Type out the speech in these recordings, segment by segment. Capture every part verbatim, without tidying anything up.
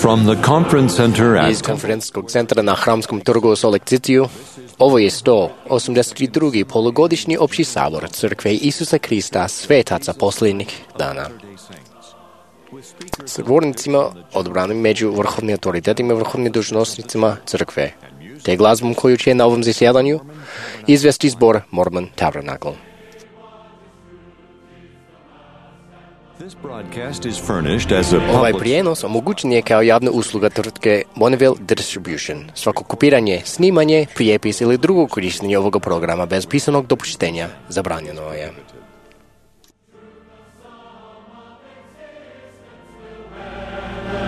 From the conference center Iz at konferencijskog centra na Hramskom trgu u Solekciciju, ovo je sto osamdeset drugi polugodišnji opći sabor Crkve Isusa Krista svetaca posljednjih dana. S govornicima odbranim među vrhovnim autoritetima i vrhovnim dužnosnicima Crkve, te glazbom koju će na ovom zasjedanju izvesti zbor Mormon Tabernacle. This broadcast is furnished as a Ovaj public prijenos omogućen je kao javna usluga tvrtke Bonneville Distribution. Svako kopiranje, snimanje, prijepis ili drugo korištenje ovoga programa bez pisanog dopuštenja zabranjeno je.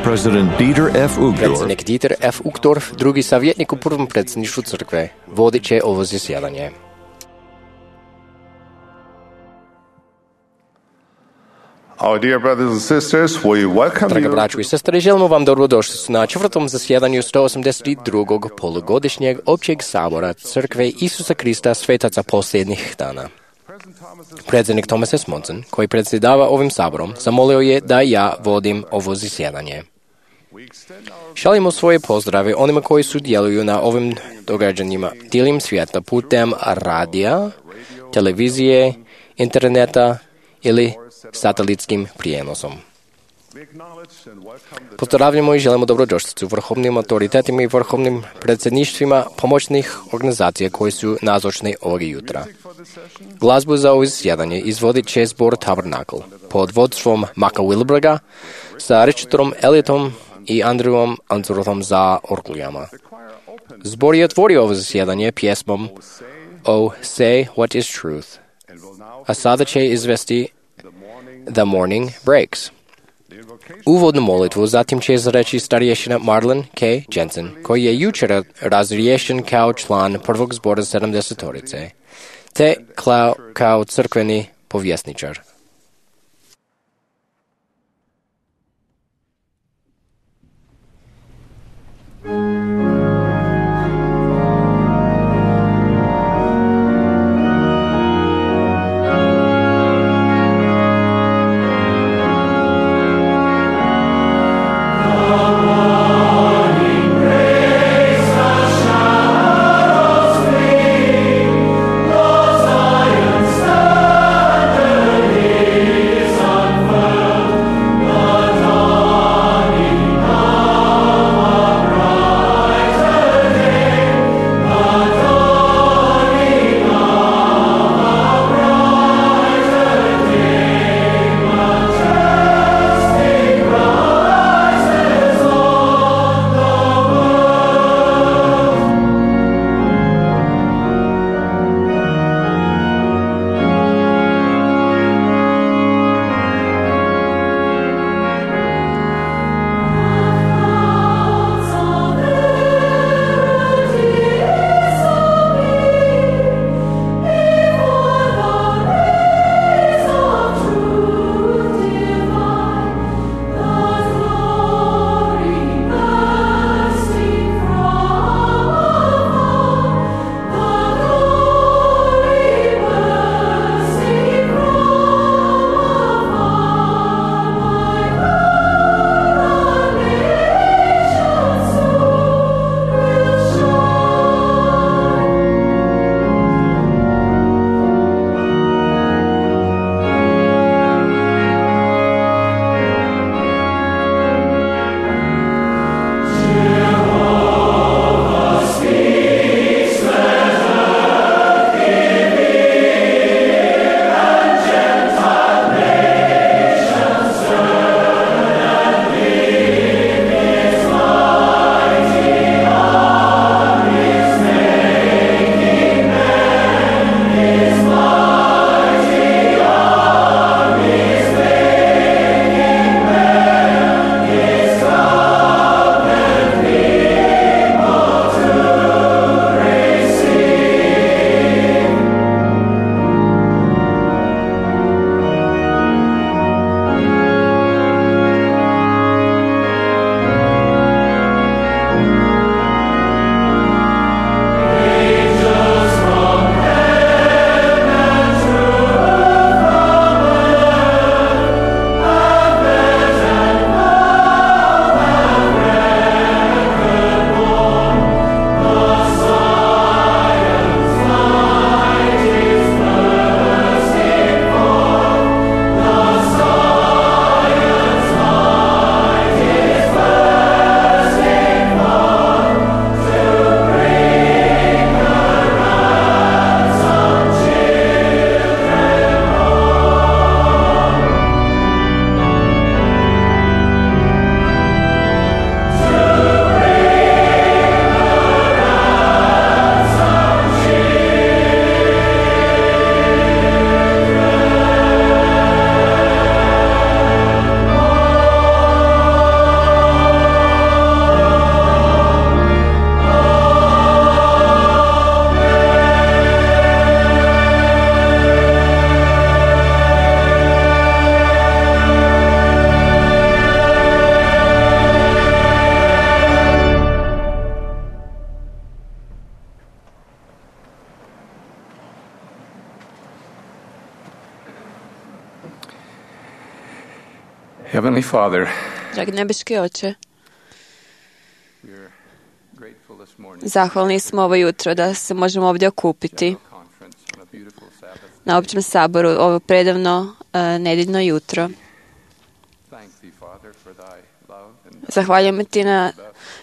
President Dieter F. Uchtdorf Predsjednik Dieter F. Uchtdorf, drugi savjetnik u prvom predsjedništvu crkve, vodit će ovo zasjedanje. Our dear brothers and sisters, we welcome Draga you braćo i sestre, želimo vam dobrodošlicu na četvrtom zasjedanju sto osamdeset drugog polugodišnjeg općeg sabora Crkve Isusa Krista svetaca posljednjih dana. Predsjednik Thomas S. Monson, koji predsjedava ovim saborom, zamolio je da ja vodim ovo zasjedanje. Šaljimo svoje pozdrave onima koji sudjeluju na ovim događanjima diljem svijeta putem radija, televizije, interneta ili satelitskim prijenosom. Pozdravljamo i želimo dobrodošlicu vrhovnim autoritetima i vrhovnim predsjedništvima pomoćnih organizacija koji su nazočni ovog jutra. Glazbu za ovo zasjedanje izvodit će zbor Tabernacle pod vodstvom Maka Wilberga sa Richardom Elliotom i Andrewom Anzurthom za orglijama. Zbor je otvorio ovo zasjedanje pjesmom Oh, Say What Is Truth, a sada će izvesti The Morning Breaks. Uvodnu molitvu zatim će izreći starješina Marlon K. Jensen, koji je jučer razriješen kao član prvog zbora sedamdesetorice, te kao, kao crkveni povjesničar. Standard Heavenly Father, Dragi nebeski Oče, we're grateful this morning zahvalni smo ovo jutro da se možemo ovdje okupiti conference on a beautiful Sabbath. na općem saboru ovo predavno uh, nedjeljno jutro. Thank thee, Father, for thy love and Zahvaljujemo ti na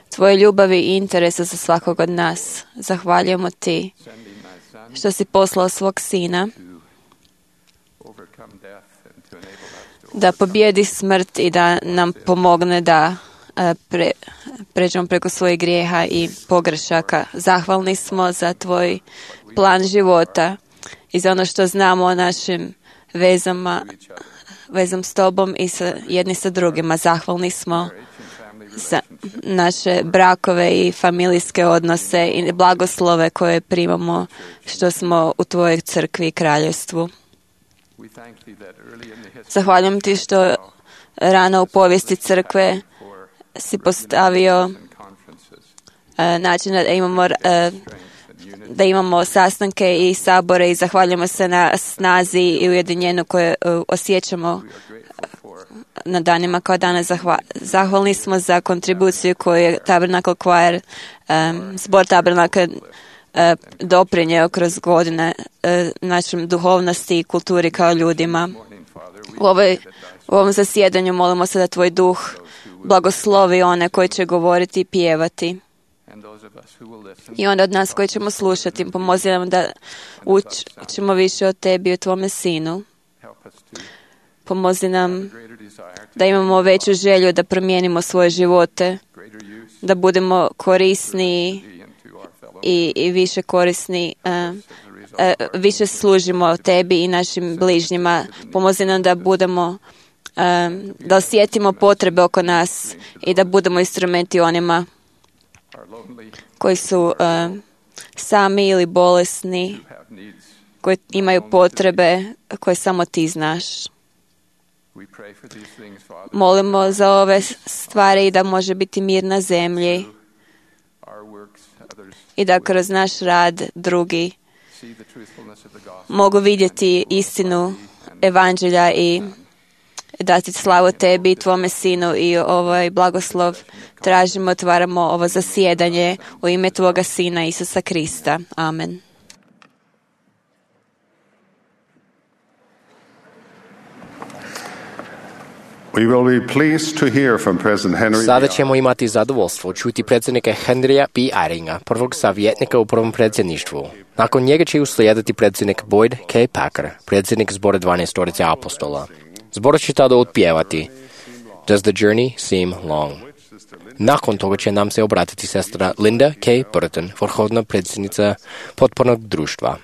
tvoje ljubavi i interesa za svakog od nas. Zahvaljujemo ti sending thy Son što si poslao svog sina to overcome death and to enable us to da pobjedi smrt i da nam pomogne da uh, pre, pređemo preko svojih grijeha i pogrešaka. Zahvalni smo za tvoj plan života i za ono što znamo o našim vezama, vezom s tobom i sa jedni sa drugima. Zahvalni smo za naše brakove i familijske odnose i blagoslove koje primamo što smo u tvojoj crkvi i kraljevstvu. We thank thee that early in the history Zahvaljujem ti što rano u povijesti crkve si postavio and conferences, uh, način da imamo uh, strength and unity, da imamo sastanke i sabore i zahvaljujemo se na snazi i ujedinjenju koje uh, osjećamo we are grateful for na danima kao danas. Zahva, zahvalni smo za kontribuciju koju je Tabernacle Choir, um, zbor Tabernacle uh, doprinjeo kroz godine uh, našim duhovnosti i kulturi kao ljudima. morning, Father. We U, ovoj, u ovom zasjedanju molimo se da tvoj duh blagoslovi one koji će govoriti i pjevati. and those of us who will listen I onda od nas koji ćemo slušati, pomozi nam da učimo više o tebi i o tvome sinu. help us to Pomozi nam greater desire to da imamo veću želju da promijenimo svoje živote, greater use da budemo korisniji thee into our fellow i, i više korisni, uh, as a result uh, više služimo tebi i našim bližnjima. Pomozi nam da budemo, um, da osjetimo potrebe oko nas i da budemo instrumenti onima our lonely koji su um, sami ili bolesni, who have needs. koji imaju potrebe koje samo ti znaš. We pray for these things, Father. Molimo za ove stvari i da može biti mir na zemlji Our works, others i da kroz naš rad drugi see the truthfulness of the gospel. mogu vidjeti istinu evanđelja i dati slavu tebi i tvome sinu i ovaj blagoslov tražimo, otvaramo ovo zasjedanje u ime tvoga sina Isusa Krista. Amen. We will be pleased to hear from President Henry. Sada ćemo imati zadovoljstvo čuti predsjednika Henrya B. Eyringa, prvog savjetnika u prvom predsjedništvu. Nakon njega će uslijediti predsjednik Boyd K. Packer, predsjednik zbora dvanaestorice apostola. Zbor će tada otpjevati Does the journey seem long? Nakon toga će nam se obratiti sestra Linda K. Burton, vrhovna predsjednica potpornog društva.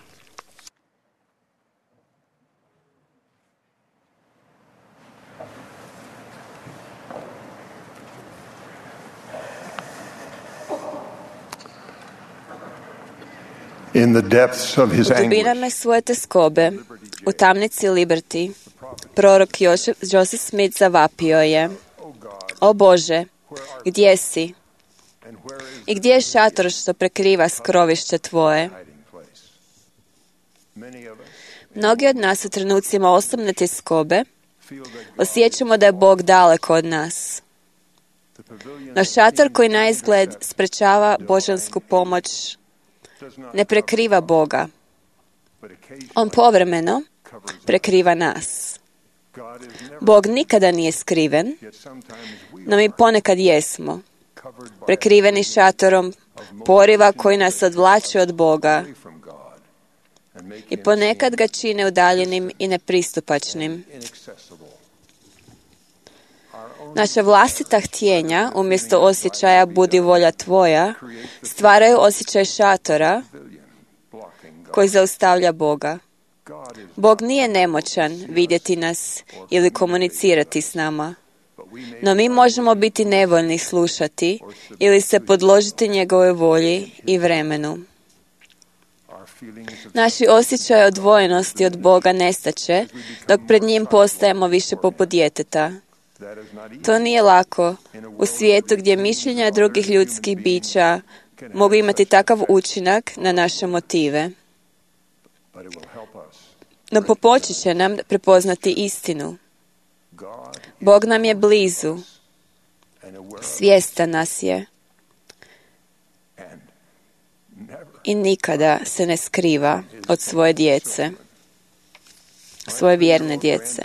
In the depths of his U anguish, dubinama svoje teskobe, u tamnici Liberty, prorok Jošef- Joseph Smith zavapio je: O Bože, gdje si? and where is I gdje je šator što prekriva skrovište tvoje? the hiding place? Many of us Mnogi od nas u trenucima osobne teskobe feel that osjećamo da je Bog daleko od nas. the pavilion No šator koji na izgled sprečava božansku pomoć does not, ne prekriva Boga. but occasionally On povremeno covers. prekriva nas. God is never, Bog nikada nije skriven, yet sometimes we no mi ponekad jesmo. covered by Prekriveni šatorom poriva koji nas odvlači od Boga away from God and make i him ponekad ga čine udaljenim i nepristupačnim. inaccessible. Our own Naša vlastita htjenja, umjesto osjećaja budi volja tvoja, stvaraju osjećaj šatora pavilion blocking God. koji zaustavlja Boga. God is, Bog nije nemoćan vidjeti nas ili komunicirati s nama, but we may no mi možemo biti nevoljni slušati ili se podložiti njegovoj volji i vremenu. our feelings of Naši osjećaj odvojenosti od Boga nestaće dok pred njim postajemo više poput djeteta. that is not easy. To nije lako u svijetu gdje mišljenja drugih ljudskih bića mogu imati takav učinak na naše motive. But it will help us No pomoći će nam prepoznati istinu. Bog nam je blizu, svjestan nas je i nikada se ne skriva od svoje djece, svoje vjerne djece.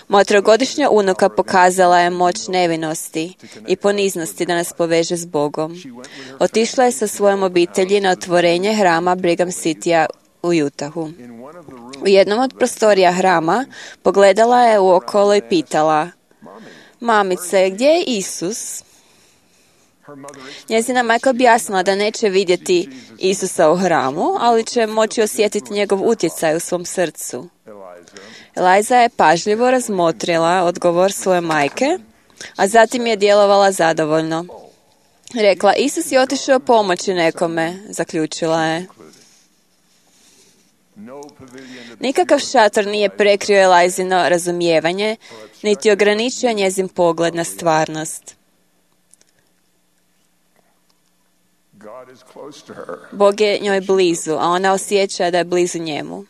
Moja trogodišnja unuka pokazala je moć nevinosti i poniznosti da nas poveže s Bogom. Otišla je sa svojom obitelji na otvorenje hrama Brigham Citya u Utahu. U jednom od prostorija hrama pogledala je uokolo i pitala: Mamice, gdje je Isus? Njezina majka objasnila da neće vidjeti Isusa u hramu, ali će moći osjetiti njegov utjecaj u svom srcu. Eliza je pažljivo razmotrila odgovor svoje majke, a zatim je djelovala zadovoljno. Rekla: Isus je otišao pomoći nekome, zaključila je. Nikakav šator nije prekrio Elizino razumijevanje, niti ograničio njezin pogled na stvarnost. Bog je njoj blizu, a ona osjeća da je blizu njemu.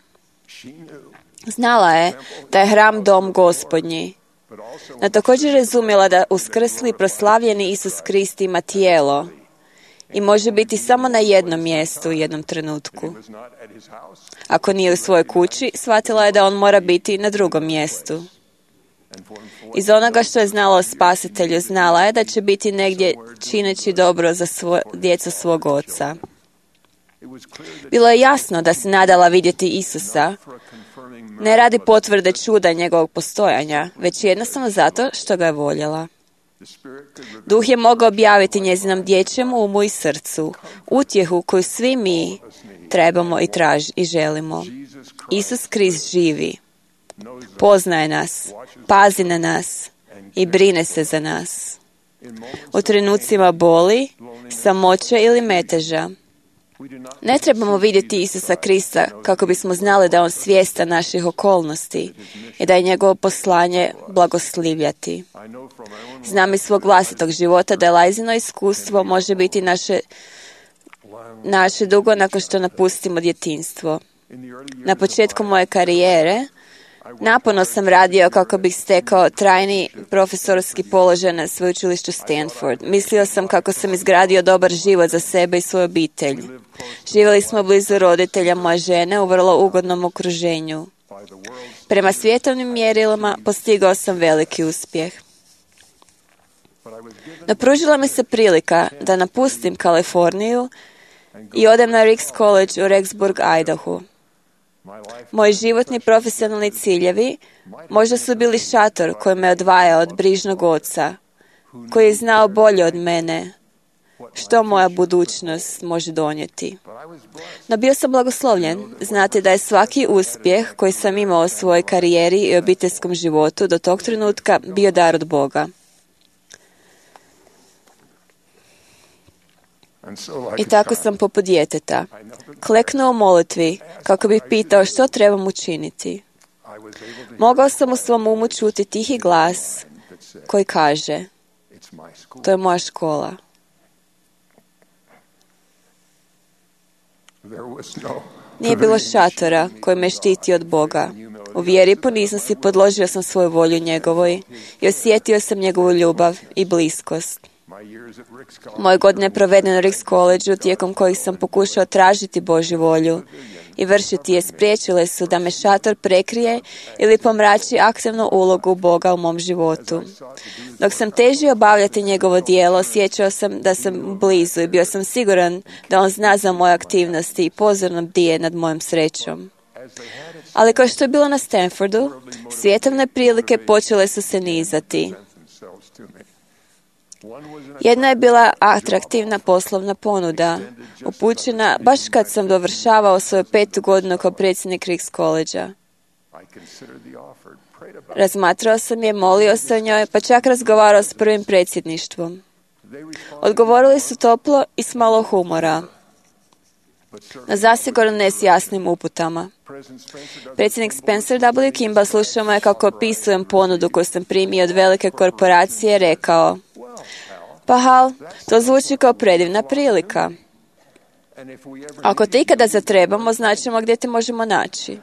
Znala je da je hram dom Gospodnji, no također razumjela da uskrsli i proslavljeni Isus Krist ima tijelo i može biti samo na jednom mjestu u jednom trenutku. Ako nije u svojoj kući, shvatila je da on mora biti na drugom mjestu. Iz onoga što je znala o Spasitelju, znala je da će biti negdje čineći dobro za svoj, djecu svog oca. Bilo je jasno da se nadala vidjeti Isusa, ne radi potvrde čuda njegovog postojanja, već jednostavno zato što ga je voljela. Duh je mogao objaviti njezinom dječjem umu i srcu utjehu koju svi mi trebamo i traži i želimo. Isus Krist živi, poznaje nas, pazi na nas i brine se za nas. U trenucima boli, samoće ili meteža. Ne trebamo vidjeti Isusa Krista kako bismo znali da je on svjestan naših okolnosti i da je njegovo poslanje blagoslivljati. Znam iz svog vlastitog života da Elizino iskustvo može biti naše, naše dugo nakon što napustimo djetinjstvo. Na početku moje karijere naporno sam radio kako bih stekao trajni profesorski položaj na sveučilištu Stanford. Mislio sam kako sam izgradio dobar život za sebe i svoju obitelj. Živjeli smo blizu roditelja moje žene u vrlo ugodnom okruženju. Prema svjetovnim mjerilima postigao sam veliki uspjeh. No pružila mi se prilika da napustim Kaliforniju i odem na Ricks College u Rexburg, Idaho. Moji životni profesionalni ciljevi možda su bili šator koji me odvajao od brižnog oca, koji je znao bolje od mene što moja budućnost može donijeti. No bio sam blagoslovljen znati da je svaki uspjeh koji sam imao u svojoj karijeri i obiteljskom životu do tog trenutka bio dar od Boga. I tako sam poput djeteta kleknuo u molitvi kako bih pitao što trebam učiniti. Mogao sam u svom umu čuti tihi glas koji kaže: to je moja škola. Nije bilo šatora koji me štiti od Boga. U vjeri i poniznosti podložio sam svoju volju njegovoj i osjetio sam njegovu ljubav i bliskost. Moje godine provedene u Ricks College-u, tijekom kojih sam pokušao tražiti Božju volju i vršiti je, spriječile su da me šator prekrije ili pomrači aktivnu ulogu Boga u mom životu. Dok sam težio obavljati njegovo djelo, osjećao sam da sam blizu i bio sam siguran da on zna za moje aktivnosti i pozorno bdije nad mojom srećom. Ali kao što je bilo na Stanfordu, svjetovne prilike počele su se nizati. Jedna je bila atraktivna poslovna ponuda, upućena baš kad sam dovršavao svoju petu godinu kao predsjednik Ricks College-a. Razmatrao sam je, molio se o njoj, pa čak razgovarao s prvim predsjedništvom. Odgovorili su toplo i s malo humora, no zasigurno ne s jasnim uputama. Predsjednik Spencer W. Kimball slušao me kako opisujem ponudu koju sam primio od velike korporacije, rekao: pa Hal, to zvuči kao predivna prilika. Ako te ikada zatrebamo, značimo gdje te možemo naći.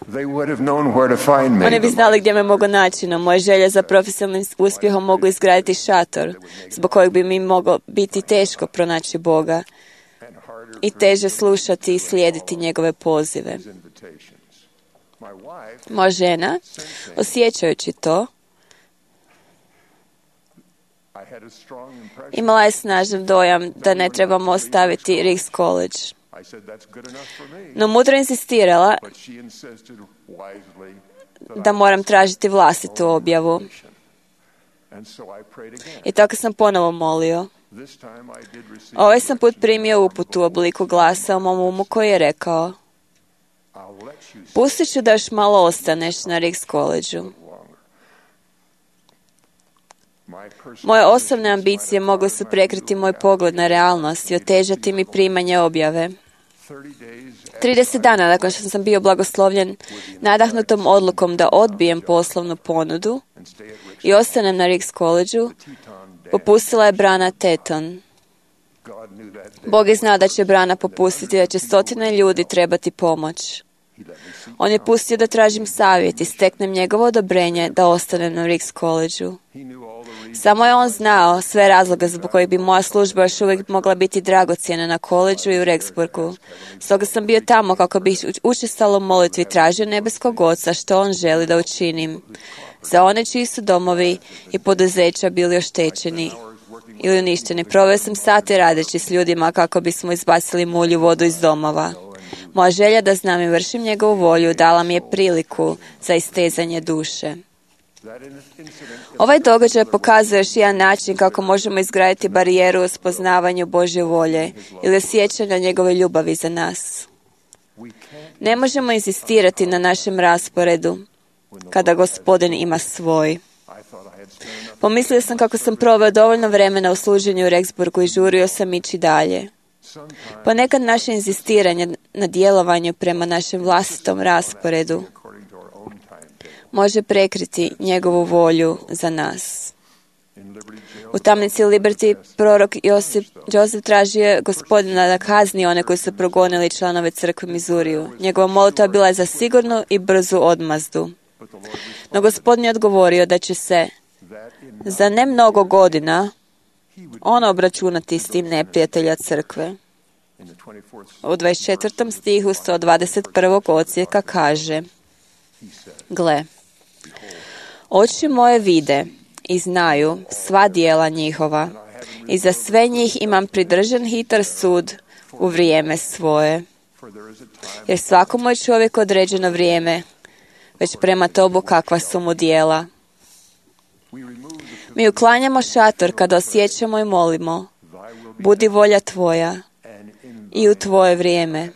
They would have known where to find me. Oni bi znali gdje me mogu naći, no moje želje za profesionalnim uspjehom mogu izgraditi šator, zbog kojeg bi mi moglo biti teško pronaći Boga i teže slušati i slijediti njegove pozive. Moja žena, osjećajući to, imala je snažan dojam da ne trebamo ostaviti Ricks College. No mudro insistirala da moram tražiti vlastitu objavu. I tako sam ponovo molio. Ovaj sam put primio uputu u obliku glasa u mom umu koji je rekao: pustit ću da još malo ostaneš na Ricks College-u. Moje osobne ambicije mogle su prekriti moj pogled na realnost i otežati mi primanje objave. trideset dana nakon što sam bio blagoslovljen nadahnutom odlukom da odbijem poslovnu ponudu i ostanem na Ricks College-u, popustila je brana Teton. Bog je znao da će brana popustiti, da će stotine ljudi trebati pomoć. On je pustio da tražim savjet i steknem njegovo odobrenje da ostanem na Ricks College-u. Samo je on znao sve razloge zbog kojih bi moja služba još uvijek mogla biti dragocjena na koleđu i u Rexburgu. Stoga sam bio tamo kako bih učestalo u molitvi tražio nebeskog Oca što on želi da učinim za one čiji su domovi i poduzeća bili oštećeni ili uništeni. Proveo sam sate radeći s ljudima kako bismo izbacili mulju vodu iz domova. Moja želja da znam i vršim njegovu volju dala mi je priliku za istezanje duše. Ovaj događaj pokazuje još jedan način kako možemo izgraditi barijeru u spoznavanju Božje volje ili osjećanja njegove ljubavi za nas. Ne možemo insistirati na našem rasporedu kada Gospodin ima svoj. Pomislio sam kako sam proveo dovoljno vremena u služenju u Rexburgu i žurio sam ići dalje. Ponekad naše inzistiranje na djelovanju prema našem vlastitom rasporedu može prekriti njegovu volju za nas. U tamnici Liberty prorok Josip, Joseph tražio Gospodina da kazni one koji su progonili članove crkve Mizuriju. Njegova molitva bila je za sigurnu i brzu odmazdu. No Gospodin je odgovorio da će se za ne mnogo godina on obračunati s tim neprijatelja crkve. U dvadeset četvrtom stihu sto dvadeset prvog odsjeka kaže: gle, oči moje vide i znaju sva djela njihova i za sve njih imam pridržan hitar sud u vrijeme svoje. Jer svakomu je čovjek određeno vrijeme, već prema tobu kakva su mu djela. Mi uklanjamo šator kada osjećamo i molimo: budi volja tvoja i u tvoje vrijeme.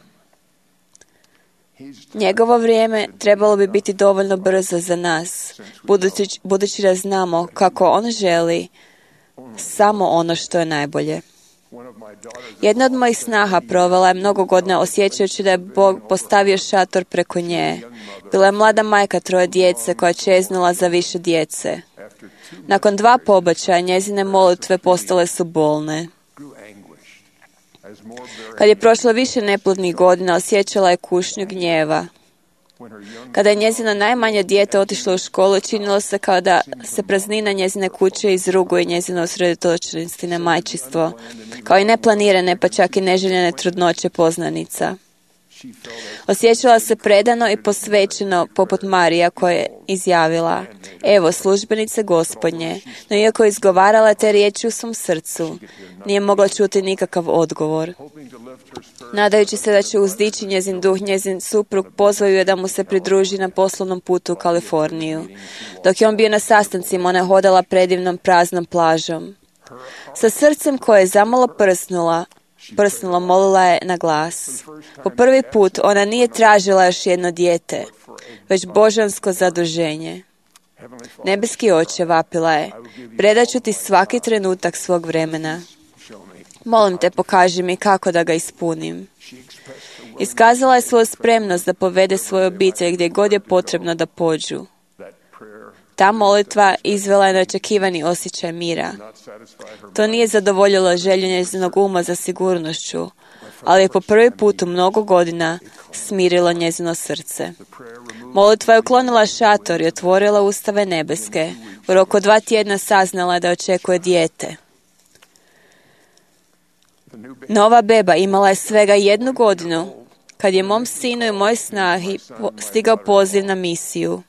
Njegovo vrijeme trebalo bi biti dovoljno brzo za nas, budući, budući da znamo kako on želi samo ono što je najbolje. Jedna od mojih snaha provela je mnogo godina osjećajući da je Bog postavio šator preko nje. Bila je mlada majka troje djece koja je čeznula za više djece. Nakon dva pobačaja njezine molitve postale su bolne. Kad je prošlo više neplodnih godina, osjećala je kušnju gnjeva. Kada je njezino najmanje dijete otišlo u školu, činilo se kao da se praznina njezine kuće izruguje njezino usredotočenosti na majčinstvo, kao i neplanirane pa čak i neželjene trudnoće poznanica. Osjećala se predano i posvećeno poput Marija koja je izjavila: evo službenice Gospodnje, no iako je izgovarala te riječi u svom srcu, nije mogla čuti nikakav odgovor. Nadajući se da će uzdići njezin duh, njezin suprug pozvao je da mu se pridruži na poslovnom putu u Kaliforniju. Dok je on bio na sastancima, ona je hodala predivnom praznom plažom. Sa srcem koje je zamalo prsnula, prsnulo, molila je na glas. Po prvi put ona nije tražila još jedno dijete, već božansko zaduženje. Nebeski Oče, vapila je, predat ću ti svaki trenutak svog vremena. Molim te, pokaži mi kako da ga ispunim. Iskazala je svoju spremnost da povede svoju obitelj gdje god je potrebno da pođu. Ta molitva izvela je neočekivani osjećaj mira. To nije zadovoljilo želju njezinog uma za sigurnošću, ali je po prvi put u mnogo godina smirilo njezino srce. Molitva je uklonila šator i otvorila ustave nebeske. U roku dva tjedna saznala je da očekuje dijete. Nova beba imala je svega jednu godinu kad je mom sinu i moj snahi stigao poziv na misiju.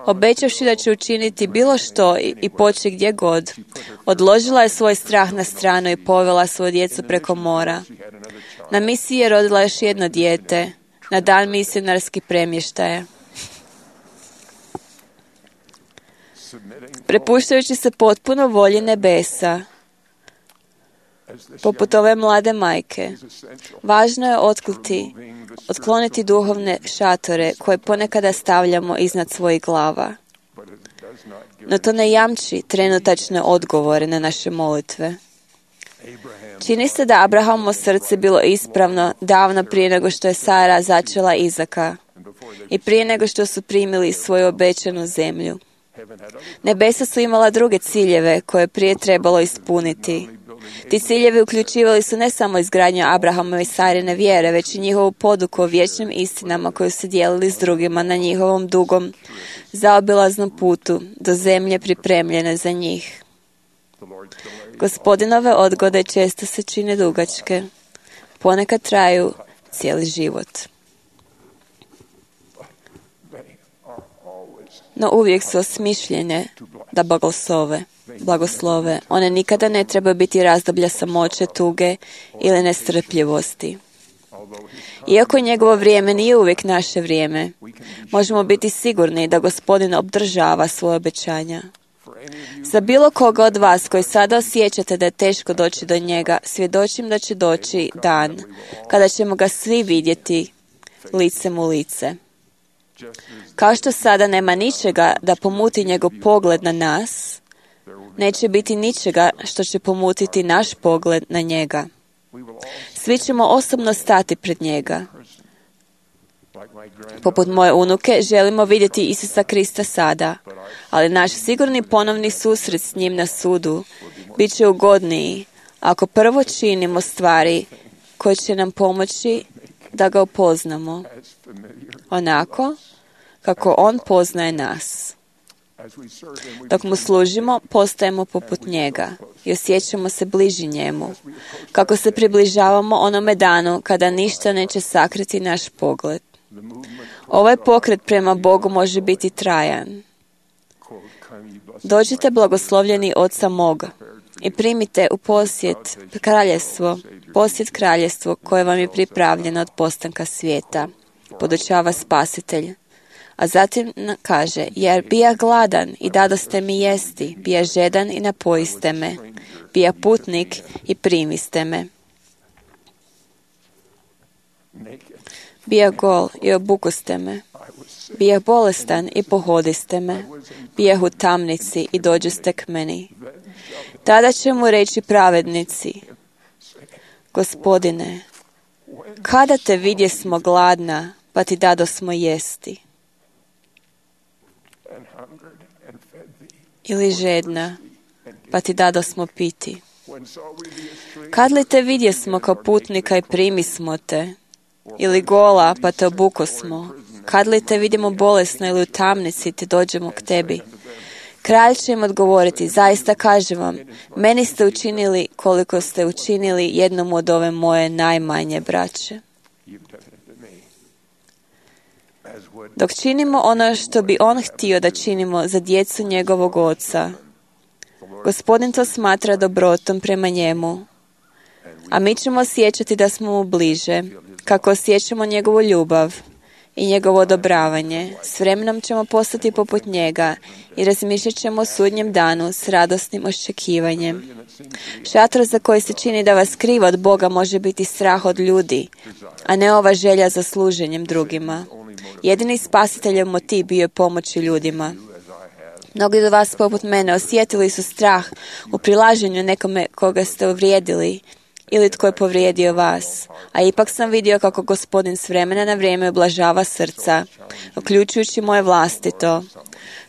Obećavši da će učiniti bilo što i poći gdje god, odložila je svoj strah na stranu i povela svoju djecu preko mora. Na misiji je rodila još jedno dijete, na dan misionarskih premještaja. Prepuštajući se potpuno volji nebesa, poput ove mlade majke, važno je otkliti, otkloniti duhovne šatore koje ponekada stavljamo iznad svojih glava. No to ne jamči trenutačne odgovore na naše molitve. Čini se da Abrahamovo srce bilo ispravno davno prije nego što je Sara začela Izaka i prije nego što su primili svoju obećanu zemlju. Nebesa su imala druge ciljeve koje je prije trebalo ispuniti. Ti ciljevi uključivali su ne samo izgradnju Abrahamove i Sarine vjere, već i njihovu poduku o vječnim istinama koju su dijelili s drugima na njihovom dugom, zaobilaznom putu do zemlje pripremljene za njih. Gospodinove odgode često se čine dugačke, ponekad traju cijeli život. No uvijek su osmišljene da blagoslove. blagoslove. One nikada ne trebaju biti razdoblja samoće, tuge ili nestrpljivosti. Iako njegovo vrijeme nije uvijek naše vrijeme, možemo biti sigurni da Gospodin obdržava svoje obećanja. Za bilo koga od vas koji sada osjećate da je teško doći do njega, svjedočim da će doći dan kada ćemo ga svi vidjeti licem u lice. Kao što sada nema ničega da pomuti njegov pogled na nas, neće biti ničega što će pomutiti naš pogled na njega. Svi ćemo osobno stati pred njega. Poput moje unuke, želimo vidjeti Isusa Krista sada, ali naš sigurni ponovni susret s njim na sudu bit će ugodniji ako prvo činimo stvari koje će nam pomoći da ga upoznamo, onako kako on poznaje nas. Dok mu služimo, postajemo poput njega i osjećamo se bliži njemu, kako se približavamo onome danu kada ništa neće sakriti naš pogled. Ovaj pokret prema Bogu može biti trajan. Dođite blagoslovljeni Oca moga i primite u posjet kraljestvo, posjet kraljestvo koje vam je pripravljeno od postanka svijeta, podučava Spasitelj. A zatim kaže, jer bija gladan i dadoste mi jesti, bija žedan i napojiste me, bija putnik i primiste me. Bija gol i obukoste me, bija bolestan i pohodiste me, bija u tamnici i dođoste k meni. Tada će mu reći pravednici, Gospodine, kada te vidjesmo gladna, pa ti dadosmo jesti? Ili žedna, pa ti dadosmo piti? Kad li te vidjesmo kao putnika i primismo te? Ili gola, pa te obukosmo? Kad li te vidimo bolesno ili u tamnici, te dođemo k tebi? Kralj će im odgovoriti, zaista kažem vam, meni ste učinili koliko ste učinili jednom od ove moje najmanje braće. Dok činimo ono što bi on htio da činimo za djecu njegovog oca, Gospodin to smatra dobrotom prema njemu, a mi ćemo osjećati da smo mu bliže, kako osjećamo njegovu ljubav i njegovo odobravanje. S vremenom ćemo postati poput njega i razmišljat ćemo o sudnjem danu s radosnim očekivanjem. Šator za koji se čini da vas kriva od Boga može biti strah od ljudi, a ne ova želja za služenjem drugima. Jedini spasiteljev motiv bio je pomoći ljudima. Mnogi od vas poput mene osjetili su strah u prilaženju nekome koga ste uvrijedili ili tko je povrijedio vas, a ipak sam vidio kako Gospodin s vremena na vrijeme oblažava srca, uključujući moje vlastito.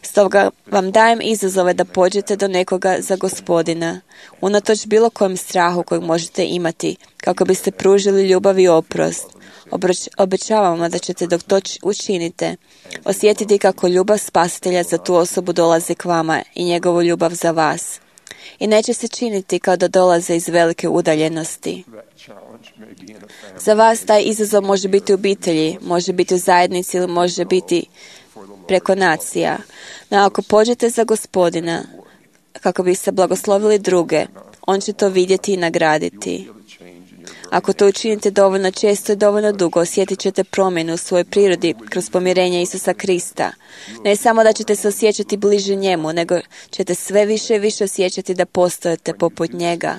Stoga vam dajem izazove da pođete do nekoga za Gospodina, unatoč bilo kojem strahu kojeg možete imati, kako biste pružili ljubav i oprost. Obroč, obećavam vam da ćete dok to učinite osjetiti kako ljubav Spasitelja za tu osobu dolazi k vama i njegovu ljubav za vas. I neće se činiti kao da dolaze iz velike udaljenosti. Za vas taj izazov može biti u obitelji, može biti u zajednici ili može biti preko nacija. No ako pođete za Gospodina kako biste blagoslovili druge, on će to vidjeti i nagraditi. Ako to učinite dovoljno često i dovoljno dugo, osjetit ćete promjenu u svojoj prirodi kroz pomirenje Isusa Krista. Ne samo da ćete se osjećati bliže njemu, nego ćete sve više i više osjećati da postojite poput njega.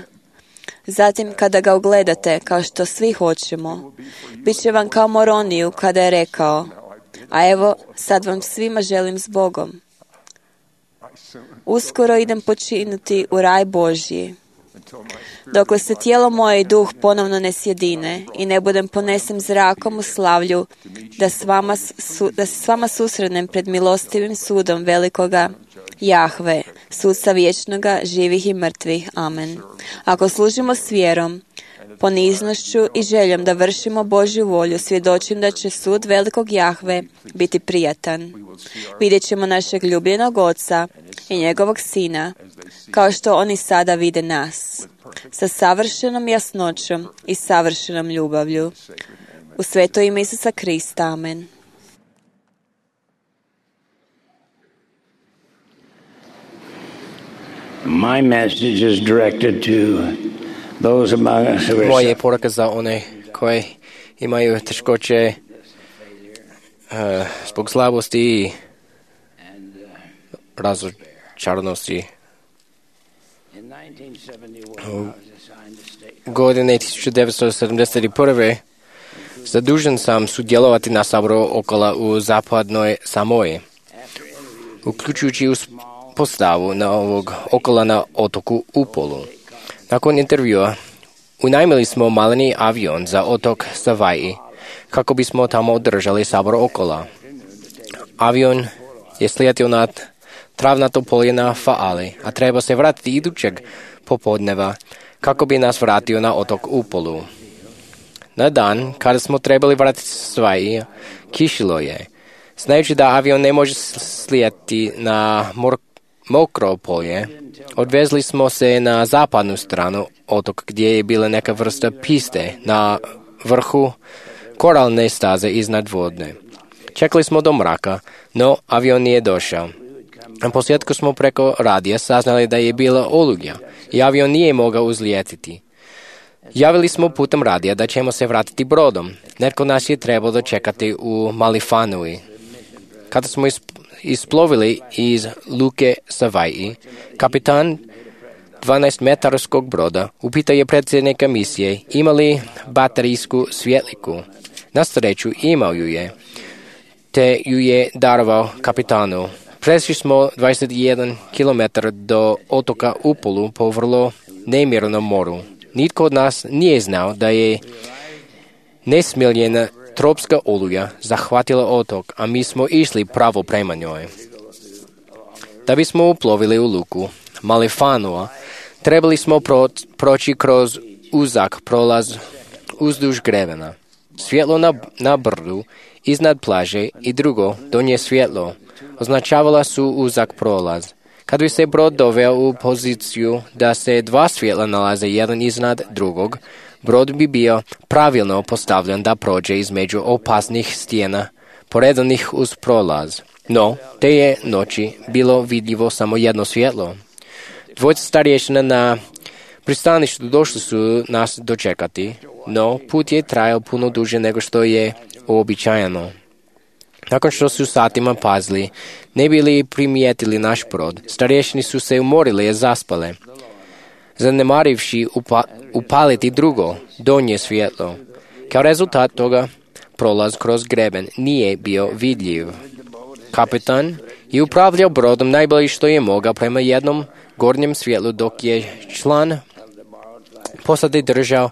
Zatim, kada ga ugledate, kao što svi hoćemo, bit će vam kao Moroniju kada je rekao: a evo, sad vam svima želim s Bogom. Uskoro idem počinuti u raj Božji. Dokle se tijelo moje i duh ponovno ne sjedine i ne budem ponesen zrakom u slavlju, da, s vama, su, da se s vama susrednem pred milostivim sudom velikoga Jahve, sudca vječnoga, živih i mrtvih. Amen. Ako služimo s vjerom, poniznošću i željom da vršimo Božju volju, svjedočim da će sud velikog Jahve biti prijatan. Vidjet ćemo našeg ljubljenog Oca i njegovog Sina, kao što oni sada vide nas, sa savršenom jasnoćom i savršenom ljubavlju. U sveto ime Isusa Krista. Amen. My message is directed to those among us who are Moje je poruka za one koji imaju teškoće uh, zbog slabosti i razočaranosti. U godine tisuću devetsto sedamdeset prve zadužen sam sudjelovati na saboru Okola u zapadnoj Samoji, uključujući postavu na ovog Okola na otoku Upolu. Nakon intervjua unajmili smo maleni avion za otok Savaii kako bismo tamo održali sabor Okola. Avion je slijetio nad travnato polje na Faali, a treba se vratiti idućeg popodneva kako bi nas vratio na otok Upolu. Na dan kada smo trebali vratiti Savaii, kišilo je. Znajući da avion ne može slijeti na mor- mokro polje, odvezli smo se na zapadnu stranu otok gdje je bila neka vrsta piste na vrhu koralne staze iznad vodne. Čekali smo do mraka, no avion nije došao. Na posljedku smo preko radija saznali da je bila olujna i avion nije mogao uzlijetiti. Javili smo putem radija da ćemo se vratiti brodom. Netko nas je trebalo dočekati u Malifanui. Kada smo isplovili iz luke Savaii, kapitan dvanaestmetarskog broda upitao je predsjednika misije ima li baterijsku svjetliku. Na sreću imao ju je, te ju je darovao kapitanu. Prešli smo dvadeset jedan kilometara do otoka Upolu po vrlo nemirnom moru. Nitko od nas nije znao da je nesmiljena tropska oluja zahvatila otok, a mi smo išli pravo prema njoj. Da bismo uplovili u luku Malifanua, trebali smo pro, proći kroz uzak prolaz uzduž grevena. Svjetlo na, na brdu iznad plaže i drugo donje svjetlo označavala su uzak prolaz. Kad bi se brod doveo u poziciju da se dva svjetla nalaze jedan iznad drugog, brod bi bio pravilno postavljen da prođe između opasnih stijena poredanih uz prolaz. No, te je noći bilo vidljivo samo jedno svjetlo. Dvojica starješina na pristaništu došli su nas dočekati, no put je trajao puno duže nego što je uobičajeno. Nakon što su satima pazili, ne bili primijetili naš brod, starješini su se umorili i zaspale, zanemarivši upa, upaliti drugo, donje svjetlo. Kao rezultat toga, prolaz kroz greben nije bio vidljiv. Kapitan je upravljao brodom najbolje što je mogao prema jednom gornjem svjetlu, dok je član posade držao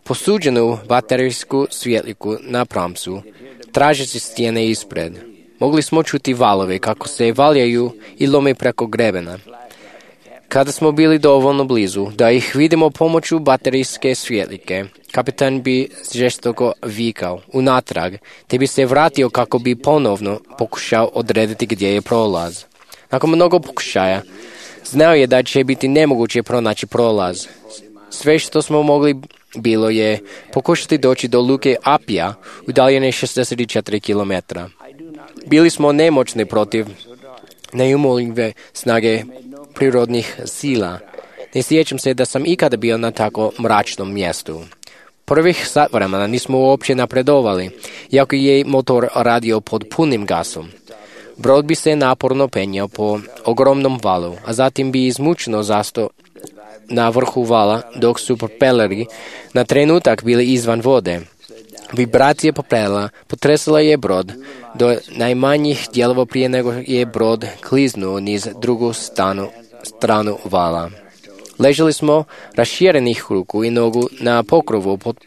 posuđenu baterijsku svjetliku na pramcu, tražeći stijene ispred. Mogli smo čuti valove kako se valjaju i lome preko grebena. Kada smo bili dovoljno blizu da ih vidimo pomoću baterijske svjetlike, kapitan bi žestoko vikao unatrag, te bi se vratio kako bi ponovno pokušao odrediti gdje je prolaz. Nakon mnogo pokušaja, znao je da će biti nemoguće pronaći prolaz. Sve što smo mogli bilo je pokušati doći do luke Apija, udaljene šezdeset četiri kilometra. Bili smo nemoćni protiv neumoljive snage prirodnih sila. Ne sjećam se da sam ikada bio na tako mračnom mjestu. Prvih sat vremena nismo uopće napredovali, iako je motor radio pod punim gasom. Brod bi se naporno penjao po ogromnom valu, a zatim bi izmučeno zastao na vrhu vala, dok su propeleri na trenutak bili izvan vode. Vibracija propela potresala je brod do najmanjih dijelova prije nego je brod kliznuo niz drugu stanu, stranu vala. Ležali smo raširenih ruku i nogu na pokrovu pod,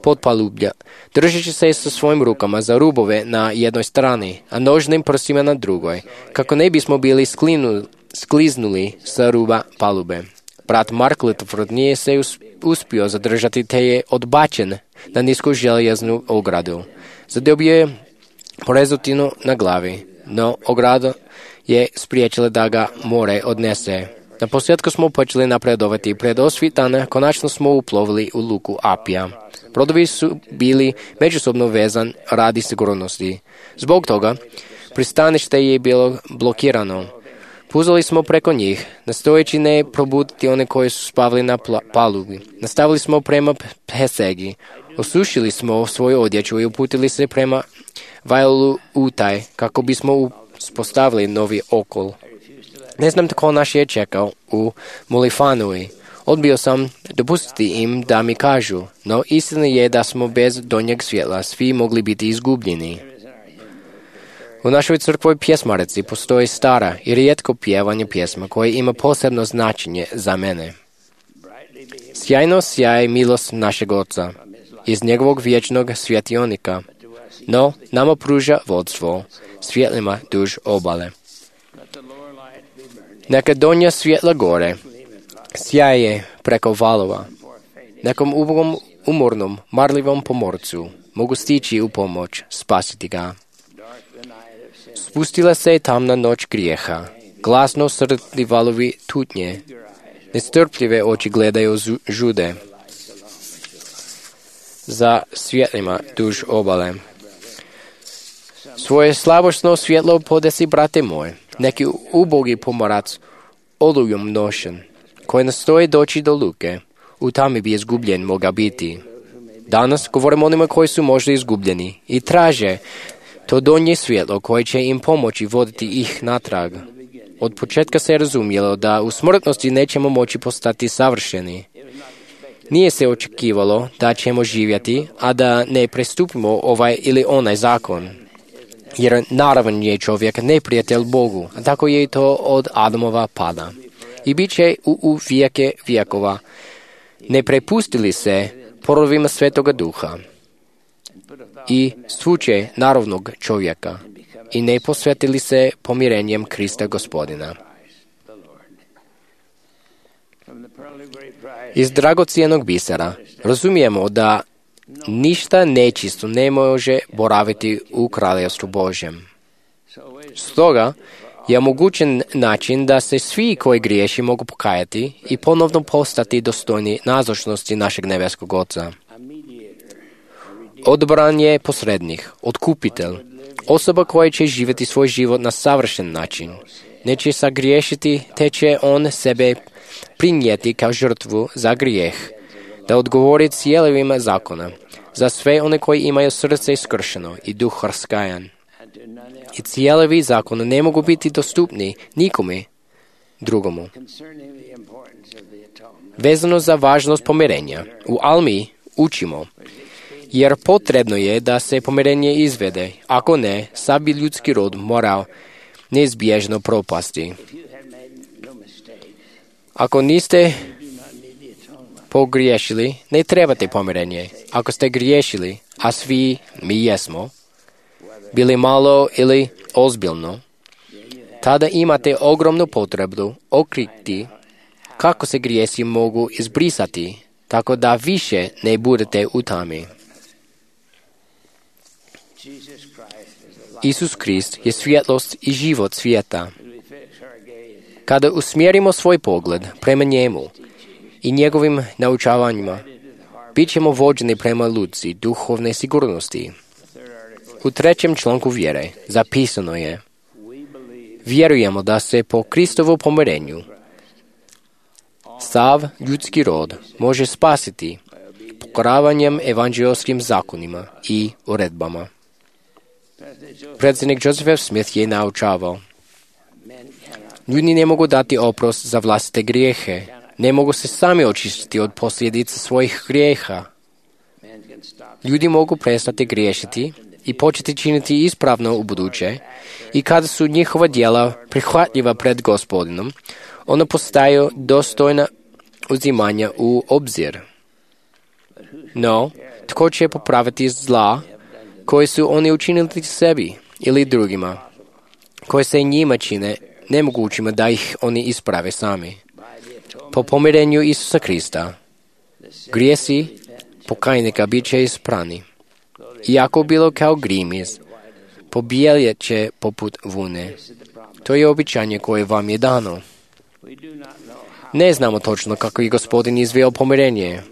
pod palublja, držeći se sa svojim rukama za rubove na jednoj strani, a nožnim prstima na drugoj, kako ne bismo bili sklinu, skliznuli sa ruba palube. Brat Mark Littleford nije se uspio zadržati, te je odbačen na nisku željeznu ogradu. Zadobio je porezutinu na glavi, no ograda je spriječila da ga more odnese. Na posljedku smo počeli napredovati. Pred osvitane konačno smo uplovili u luku Apija. Brodovi su bili međusobno vezan radi sigurnosti. Zbog toga pristanište je bilo blokirano. Puzali smo preko njih, nastojeći ne probuditi one koji su spavali na palubi. Nastavili smo prema Pesegi. Osušili smo svoju odjeću i uputili se prema Vajlu Utaj, kako bismo uspostavili novi okol. Ne znam tko naš je čekao u Mulifanui. Odbio sam dopustiti im da mi kažu, no istina je da smo bez donjeg svjetla svi mogli biti izgubljeni. U našoj crkvoj pjesmarici postoji stara i rijetko pjevanje pjesma koje ima posebno značenje za mene. Sjajno sjaj milost našeg Oca iz njegovog vječnog svjetionika, no nama pruža vodstvo svjetlima duž obale. Neka donja svjetla gore sjaje preko valova. Nekom ubogom, umornom, marljivom pomorcu mogu stići u pomoć, spasiti ga. Spustila se je tamna noć grijeha, glasno srdli valovi tutnje, nestrpljive oči gledaju žude za svjetlima duž obale. Svoje slabošno svjetlo podesi, brate moj, neki ubogi pomorac, olujom nošen, koji nastoji doći do luke, u tami bi izgubljen moga biti. Danas govorimo onima koji su možda izgubljeni i traže to donje svjetlo koje će im pomoći voditi ih natrag. Od početka se je razumjelo da u smrtnosti nećemo moći postati savršeni. Nije se očekivalo da ćemo živjeti, a da ne prestupimo ovaj ili onaj zakon. Jer naravan je čovjek neprijatelj Bogu, a tako je i to od Adamova pada. I bit će u, u vijeke vijekova. Ne prepustili se porovima Svetoga Duha i svuče naravnog čovjeka i ne posvetili se pomirenjem Krista Gospodina. Iz dragocijenog bisera razumijemo da ništa nečisto ne može boraviti u kraljevstvu Božjem. Stoga je omogućen način da se svi koji griješi mogu pokajati i ponovno postati dostojni nazočnosti našeg nebeskog Oca. Odbran je posrednik, otkupitelj, osoba koja će živjeti svoj život na savršen način. Neće sagriješiti, te će on sebe prinijeti kao žrtvu za grijeh, da odgovori cijelovima zakona, za sve one koji imaju srce iskršeno i duh raskajan. I cijelovi zakona ne mogu biti dostupni nikome drugomu. Vezano za važnost pomirenja, u Almi učimo, jer potrebno je da se pomirenje izvede, ako ne, sad bi ljudski rod morao neizbježno propasti. Ako niste pogriješili, ne trebate pomirenje. Ako ste griješili, a svi mi jesmo, bili malo ili ozbiljno, tada imate ogromnu potrebu okriti kako se grijesi mogu izbrisati, tako da više ne budete u tami. Isus Krist je svjetlost i život svijeta. Kada usmjerimo svoj pogled prema njemu i njegovim naučavanjima, bit ćemo vođeni prema luci duhovne sigurnosti. U trećem članku vjere zapisano je: vjerujemo da se po Kristovu pomirenju sav ljudski rod može spasiti pokoravanjem evanđeoskim zakonima i uredbama. Predsjednik Joseph F. Smith je naučavao: ljudi ne mogu dati oprost za vlastite grijehe, ne mogu se sami očistiti od posljedica svojih grijeha. Ljudi mogu prestati griješiti i početi činiti ispravno u buduće, i kada su njihova djela prihvatljiva pred Gospodinom, ona postaju dostojna uzimanja u obzir. No, tko će popraviti zla koje su oni učinili sebi ili drugima, koje se njima čine nemogućima da ih oni isprave sami? Po pomirenju Isusa Krista, grijesi pokajnika bit će isprani. Iako bilo kao grimiz, pobijeljet će poput vune. To je običanje koje vam je dano. Ne znamo točno kako je Gospodin izveo pomirenje,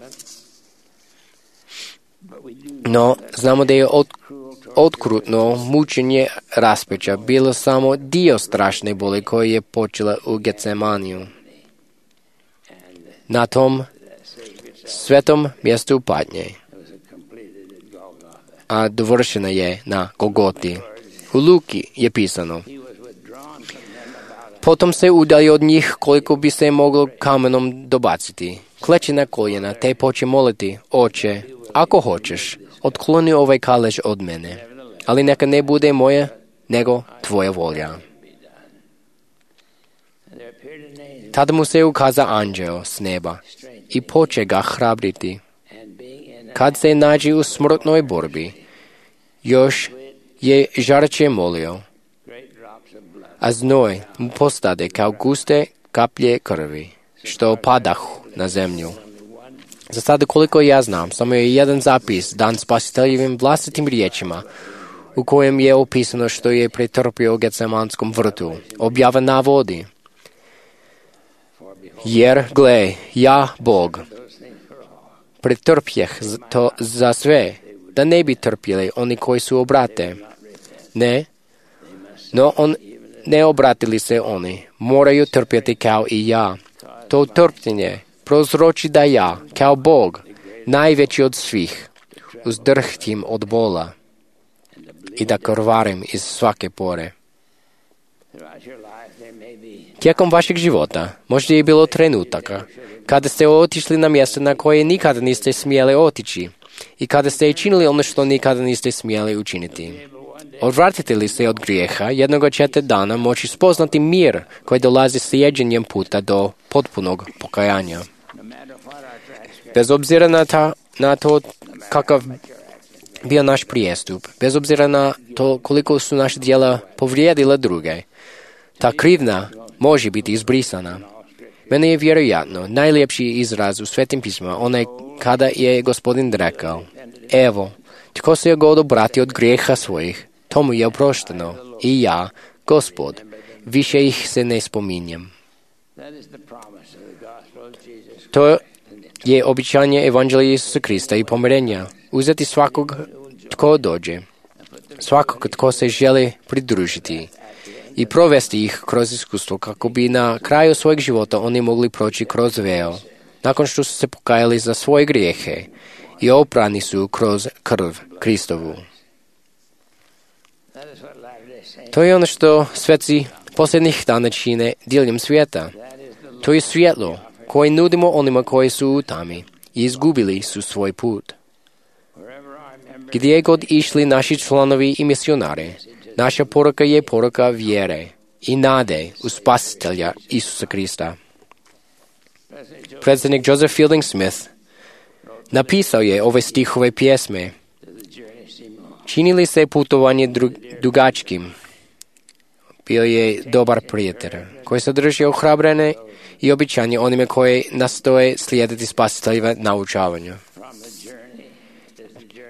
no znamo da je od, otkrutno mučenje raspeća bilo samo dio strašne boli koje je počela u Getsemaniju. Na tom svetom mjestu patnje, a dovršena je na Golgoti. U Luki je pisano: potom se udalji od njih koliko bi se moglo kamenom dobaciti. Kleči na koljena te poče moliti: oče, ako hoćeš, otkloni ovaj kalež od mene, ali neka ne bude moja, nego tvoja volja. Tada mu se ukaza anđeo s neba i poče ga hrabriti. Kad se nađe u smrtnoj borbi, još je žarče molio, a znoj mu postade kao guste kaplje krvi, što padahu na zemlju. Za sada koliko ja znam, samo je jedan zapis dan spasiteljevim vlastitim riječima, u kojem je opisano što je pretrpio u Getsemanskom vrtu. Objava navodi: jer, gle, ja, Bog, pretrpjeh to za sve, da ne bi trpjeli oni koji su obrate. Ne, no on ne obratili se oni, moraju trpjeti kao i ja. To trpljenje prozroči da ja, kao Bog, najveći od svih, uzdrhtim od bola i da krvarim iz svake pore. Tijekom vašeg života možda je bilo trenutaka kada ste otišli na mjesto na koje nikada niste smjeli otići i kada ste činili ono što nikada niste smjeli učiniti. Odvratite li se od grijeha, jednoga ćete dana moći spoznati mir koji dolazi slijeđenjem puta do potpunog pokajanja. Bez obzira na, ta, na to kakav bio naš prijestup, bez obzira na to koliko su naše djela povrijedila druge, ta krivnja može biti izbrisana. Meni je vjerojatno najljepši izraz u Svetim pismima onaj kada je Gospodin rekao: evo, tko se je god obrati od grijeha svojih, tomu je oprošteno, i ja, Gospod, više ih se ne spominjem. To je običanje evanđelja Isusa Krista i pomirenja, uzeti svakog tko dođe, svakog tko se želi pridružiti i provesti ih kroz iskustvo kako bi na kraju svojeg života oni mogli proći kroz veo, nakon što su se pokajali za svoje grijehe i oprani su kroz krv Kristovu. To je ono što sveci posljednjih dana čine diljem svijeta. To je svjetlo koje nudimo onima koji su u tami i izgubili su svoj put. Gdje god išli naši članovi i misionari, naša poruka je poruka vjere i nade u Spasitelja Isusa Krista. Predsjednik Joseph Fielding Smith Napisao je ove stihove pjesme. Činili se putovanje dru- dugačkim. Bio je dobar prijatelj, koji sadrži ohrabrene i običanje onime koje nastoje slijediti spasiteljive naučavanju.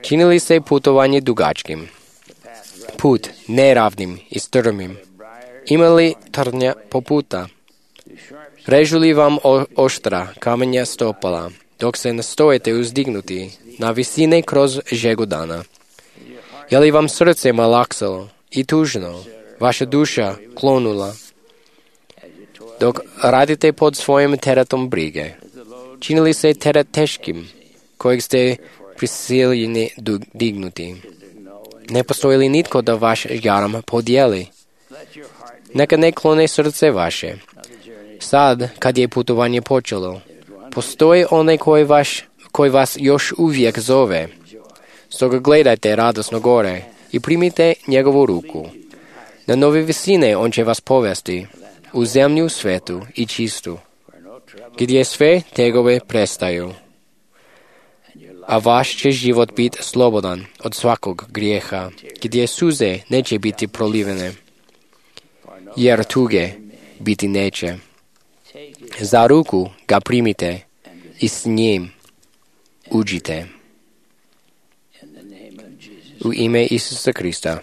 Činili se putovanje dugačkim. Put neravnim i strmim. Imali trnja po puta. Režu li vam o- oštra kamenja stopala, dok se nastojete uzdignuti na visine kroz žegu dana? Je li vam srce malaksalo i tužno, vaša duša klonula, dok radite pod svojim teretom brige? Činili se teret teškim, kojeg ste prisiljeni du- dignuti? Ne postoji li nitko da vaš jaram podijeli? Neka ne klone srce vaše. Sad, kad je putovanje počelo, postoji onaj koji, vaš, koji vas još uvijek zove. Stoga gledajte radosno gore i primite njegovu ruku. Na nove visine on će vas povesti, u zemlju svetu i čistu, gdje sve tegove prestaju. A vaš će život biti slobodan od svakog grijeha, gdje suze neće biti prolivene, jer tuge biti neće. Za ruku ga primite i s njim uđite. U ime Isusa Krista.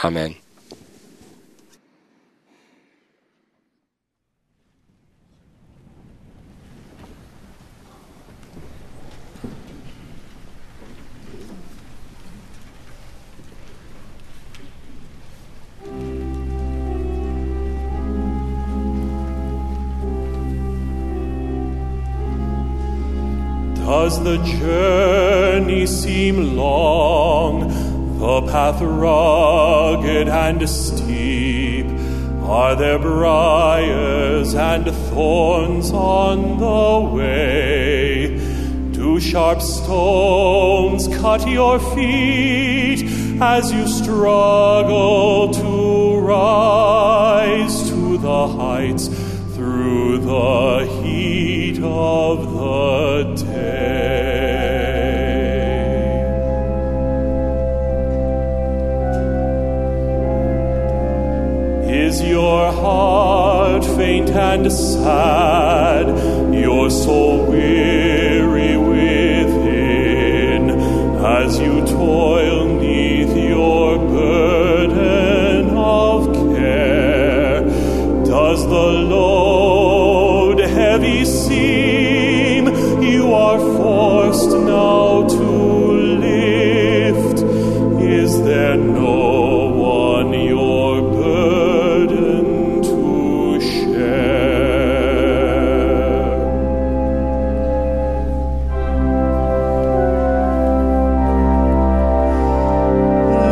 Amen. Does the journey seem long, the path rugged and steep? Are there briars and thorns on the way? Do sharp stones cut your feet as you struggle to rise to the heights through the heat of the day? Is your heart faint and sad, your soul weary within, as you toil neath your burden of care? Does the load heavy seem you are forced now to lift? Is there no one your burden to share?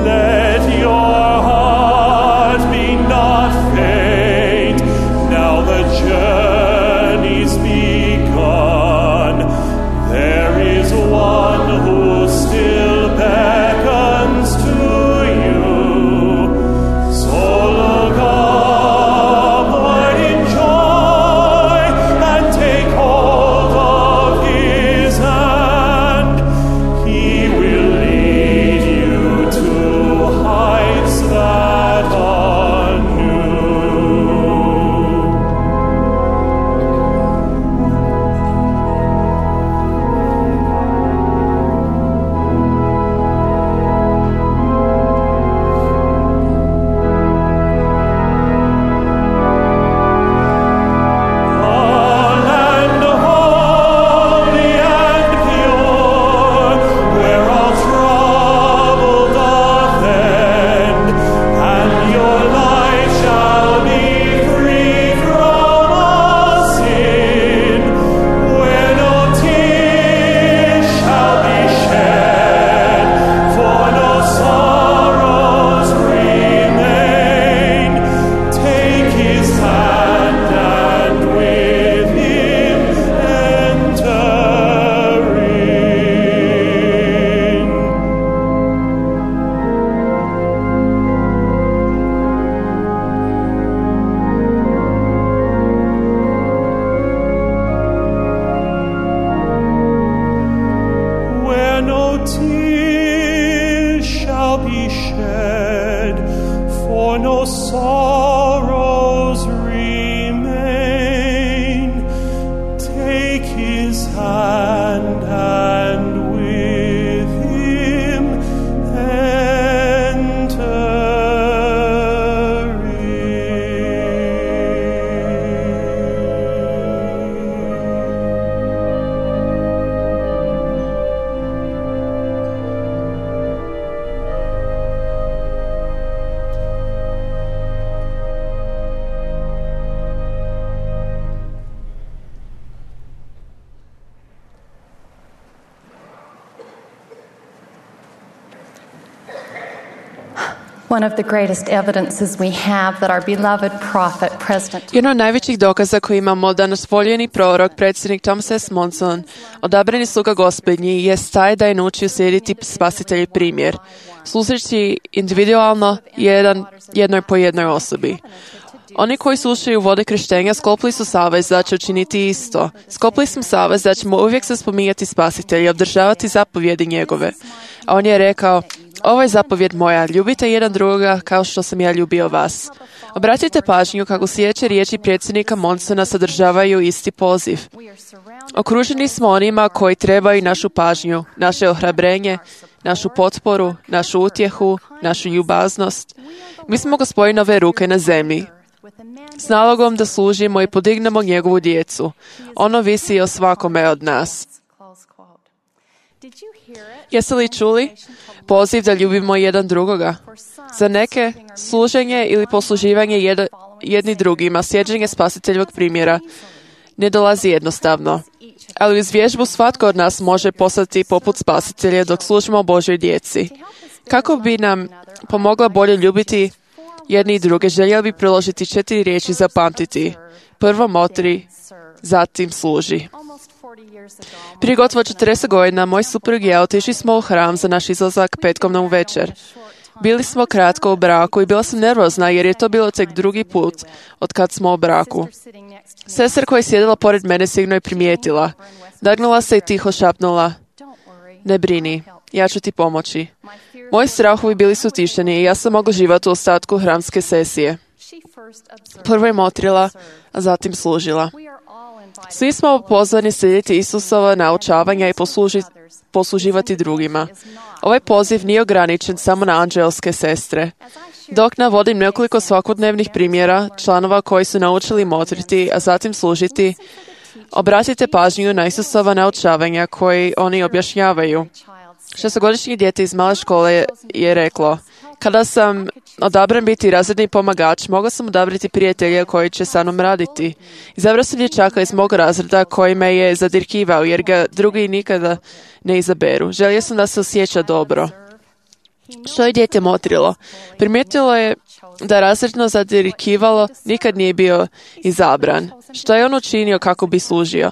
Let your heart be not faint now that shed, for no sorrows remain. Take his hand and with him enter One of the greatest evidences we have that our beloved prophet, President Jedan od najvećih dokaza koji imamo da naš voljeni prorok, predsjednik Thomas S. Monson, odabrani sluga Gospodnji, jest taj da je naučio slijediti spasitelji primjer, služeći individualno jedan, jednoj po jednoj osobi. Oni koji slušaju vode krštenja sklopili su savez da će učiniti isto. Sklopili smo savez da ćemo uvijek se spominjati spasitelja i obdržavati zapovjedi njegove. A on je rekao: ovo je zapovjed moja, ljubite jedan drugoga kao što sam ja ljubio vas. Obratite pažnju kako sljedeće riječi predsjednika Monsona sadržavaju isti poziv. Okruženi smo onima koji trebaju našu pažnju, naše ohrabrenje, našu potporu, našu utjehu, našu ljubaznost. Mi smo Gospodinove ruke na zemlji, s nalogom da služimo i podignemo njegovu djecu. Ono visi o svakome od nas. Jeste li čuli poziv da ljubimo jedan drugoga? Za neke, služenje ili posluživanje jed, jedni drugima, slijeđenje spasiteljevog primjera, ne dolazi jednostavno. Ali uz vježbu svatko od nas može postati poput spasitelja dok služimo Božoj djeci. Kako bi nam pomogla bolje ljubiti jedni i druge, željeli bi priložiti četiri riječi za pamtiti. Prvo motri, zatim služi. Prije gotovo četrdeset godina moj suprug i ja otišli smo u hram za naš izlazak petkom na uvečer. Bili smo kratko u braku i bila sam nervozna jer je to bilo tek drugi put od kad smo u braku. Sestra koja je sjedila pored mene sigurno je primijetila. Nagnula se i tiho šapnula: ne brini, ja ću ti pomoći. Moji strahovi bili su tišeni i ja sam mogla živati u ostatku hramske sesije. Prvo je motrila, a zatim služila. Svi smo pozvani slijediti Isusova naučavanja i posluži, posluživati drugima. Ovaj poziv nije ograničen samo na anđelske sestre. Dok navodim nekoliko svakodnevnih primjera članova koji su naučili motriti, a zatim služiti, obratite pažnju na Isusova naučavanja koji oni objašnjavaju. Šestogodišnje dijete iz male škole je reklo: kada sam odabran biti razredni pomagač, mogao sam odabrati prijatelja koji će sa mnom raditi. Izabrao sam dječaka iz mog razreda koji me je zadirkivao, jer ga drugi nikada ne izaberu. Želio sam da se osjeća dobro. Što je dijete motrilo? Primijetilo je da razredno zadirkivalo nikad nije bio izabran. Što je on učinio kako bi služio?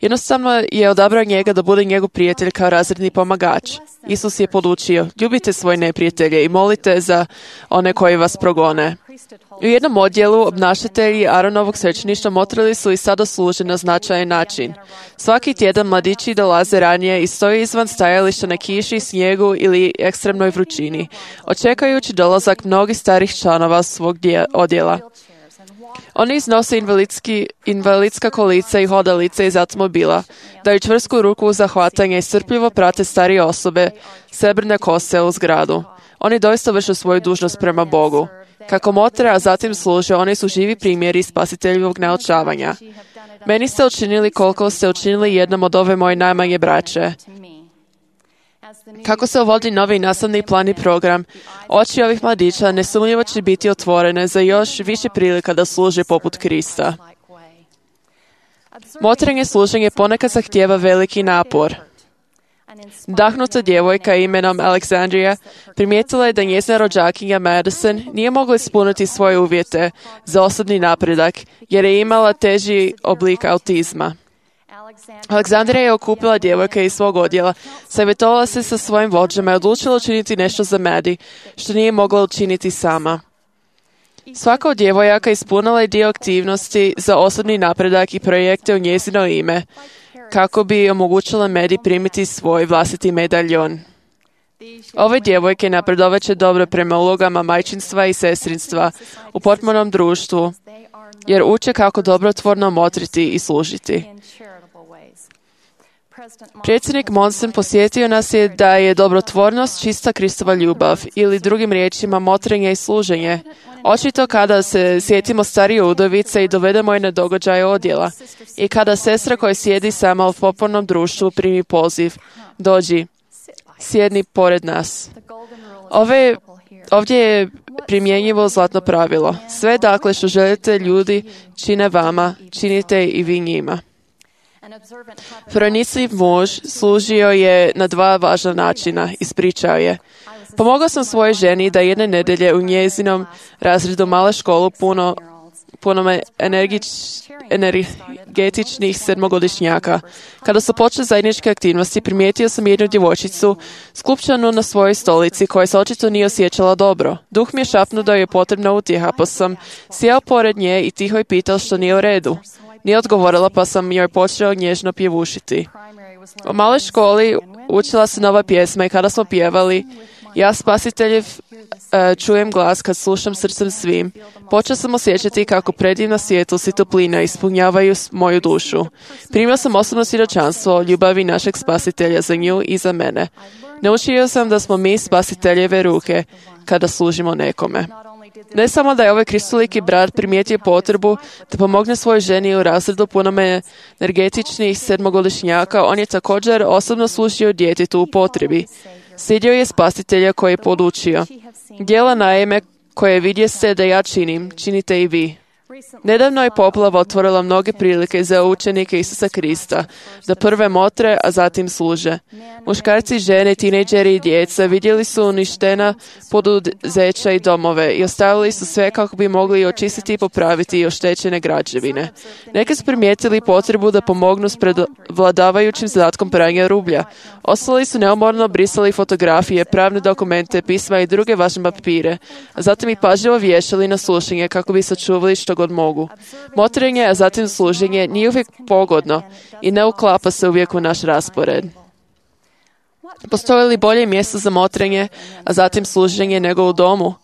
Jednostavno je odabrao njega da bude njegov prijatelj kao razredni pomagač. Isus je podučio: ljubite svoje neprijatelje i molite za one koji vas progone. U jednom odjelu obnašatelji Aronovog svećeništva motrili su i sada služe na značajan način. Svaki tjedan mladići dolaze ranije i stoje izvan stajališta na kiši, snijegu ili ekstremnoj vrućini, očekajući dolazak mnogih starih članova svog odjela. Oni iznose invalidski, invalidska kolica i hodalice iz automobila, daju čvrsku ruku za hvatanje i strpljivo prate starije osobe, srebrne kose u zgradu. Oni doista vrše svoju dužnost prema Bogu. Kako motre, a zatim služe, oni su živi primjeri spasiteljevog naučavanja. Meni ste učinili koliko ste učinili jednom od ove moje najmanje braće. Kako se uvodi novi nastavni plan i program, oči ovih mladića nesumnjivo će biti otvorene za još više prilika da služe poput Krista. Motrenje služenje ponekad zahtijeva veliki napor. Nadahnuta djevojka imenom Aleksandrija primijetila je da njezina rođakinja Madison nije mogla ispuniti svoje uvjete za osobni napredak jer je imala teži oblik autizma. Aleksandrija je okupila djevojke iz svog odjela, savjetovala se sa svojim vođama i odlučila učiniti nešto za Maddie, što nije mogla učiniti sama. Svaka od djevojaka ispunila je dio aktivnosti za osobni napredak i projekte u njezino ime, kako bi omogućila Maddie primiti svoj vlastiti medaljon. Ove djevojke napredovat će dobro prema ulogama majčinstva i sestrinstva u potpunom društvu, jer uče kako dobrotvorno motriti i služiti. Predsjednik Monson posjetio nas je da je dobrotvornost čista Kristova ljubav, ili drugim riječima motrenje i služenje. Očito kada se sjetimo starije udovice i dovedemo je na događaje odjela, i kada sestra koja sjedi sama u popolnom društvu primi poziv, dođi, sjedni pored nas. Ove, ovdje je primjenjivo zlatno pravilo. Sve dakle što želite ljudi čine vama, činite i vi njima. Pronicljiv muž služio je na dva važna načina, ispričao je. Pomogao sam svojoj ženi da jedne nedelje u njezinom razredu male školu puno, puno energič, energetičnih sedmogodišnjaka. Kada su počele zajedničke aktivnosti, primijetio sam jednu djevojčicu skupčanu na svojoj stolici koja se očito nije osjećala dobro. Duh mi je šapnuo da joj je potrebna utjeha, pa sam sjeo pored nje i tiho je pitao što nije u redu. Nije odgovorila, pa sam joj počeo nježno pjevušiti. U maloj školi učila se nova pjesma i kada smo pjevali, ja spasiteljev uh, čujem glas kad slušam srcem svim, počeo sam osjećati kako predivna svjetlost i toplina ispunjavaju moju dušu. Primio sam osobno svjedočanstvo o ljubavi našeg spasitelja za nju i za mene. Naučio sam da smo mi spasiteljeve ruke kada služimo nekome. Ne samo da je ovaj kristoliki brat primijetio potrebu da pomogne svojoj ženi u razredu punome energetičnih sedmogodišnjaka, on je također osobno služio djetetu u potrebi. Slijedio je spasitelja koji je podučio. Djela naime koje vidjeste da ja činim, činite i vi. Nedavno je poplava otvorila mnoge prilike za učenike Isusa Krista, da prve motre, a zatim služe. Muškarci, žene, tinejdžeri i djeca vidjeli su uništena poduzeća i domove i ostavili su sve kako bi mogli očistiti i popraviti oštećene građevine. Neki su primijetili potrebu da pomognu s prevladavajućim zadatkom pranja rublja. Ostali su neumorno brisali fotografije, pravne dokumente, pisma i druge važne papire, a zatim ih pažljivo vješali na slušanje kako bi sačuvali što god mogu. Motrenje, a zatim služenje nije uvijek pogodno i ne uklapa se uvijek u naš raspored. Postoji li bolje mjesto za motrenje, a zatim služenje nego u domu?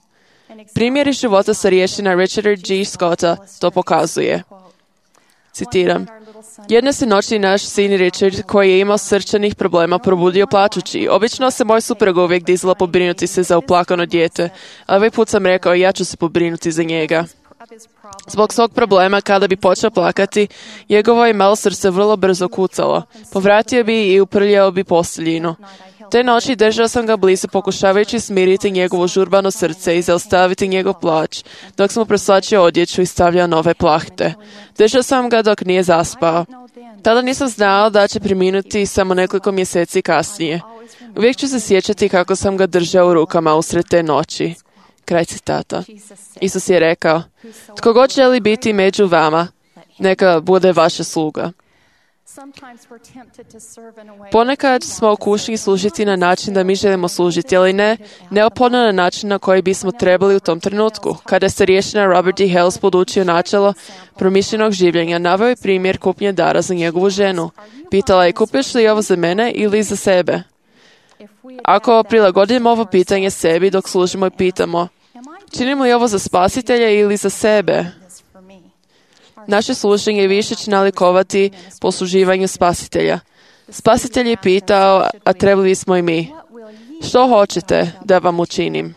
Primjeri života starješina Richarda G. Scotta to pokazuje. Citiram. Jedne se noći naš sin Richard, koji je imao srčanih problema, probudio plačući. Obično se moj suprug uvijek dizala pobrinuti se za uplakano dijete, a ovaj put sam rekao ja ću se pobrinuti za njega. Zbog svog problema, kada bi počeo plakati, njegovo je malo srce vrlo brzo kucalo. Povratio bi i uprljao bi posteljinu. Te noći držao sam ga blizu, pokušavajući smiriti njegovo žurbano srce i zaustaviti njegov plač, dok sam mu preslačio odjeću i stavljao nove plahte. Držao sam ga dok nije zaspao. Tada nisam znao da će preminuti samo nekoliko mjeseci kasnije. Uvijek ću se sjećati kako sam ga držao u rukama usred te noći. Kraj citata. Isus je rekao, tko god želi biti među vama, neka bude vaša sluga. Ponekad smo u kušnji služiti na način da mi želimo služiti, ali ne neophodno na način na koji bismo trebali u tom trenutku. Kada je starješina Robert D. Hales podučio načelo promišljenog življenja, naveo je primjer kupnje dara za njegovu ženu. Pitala je, kupiš li ovo za mene ili za sebe? Ako prilagodimo ovo pitanje sebi dok služimo i pitamo, činimo li ovo za spasitelja ili za sebe? Naše služenje više će nalikovati posluživanju spasitelja. Spasitelj je pitao, a trebali smo i mi. Što hoćete da vam učinim?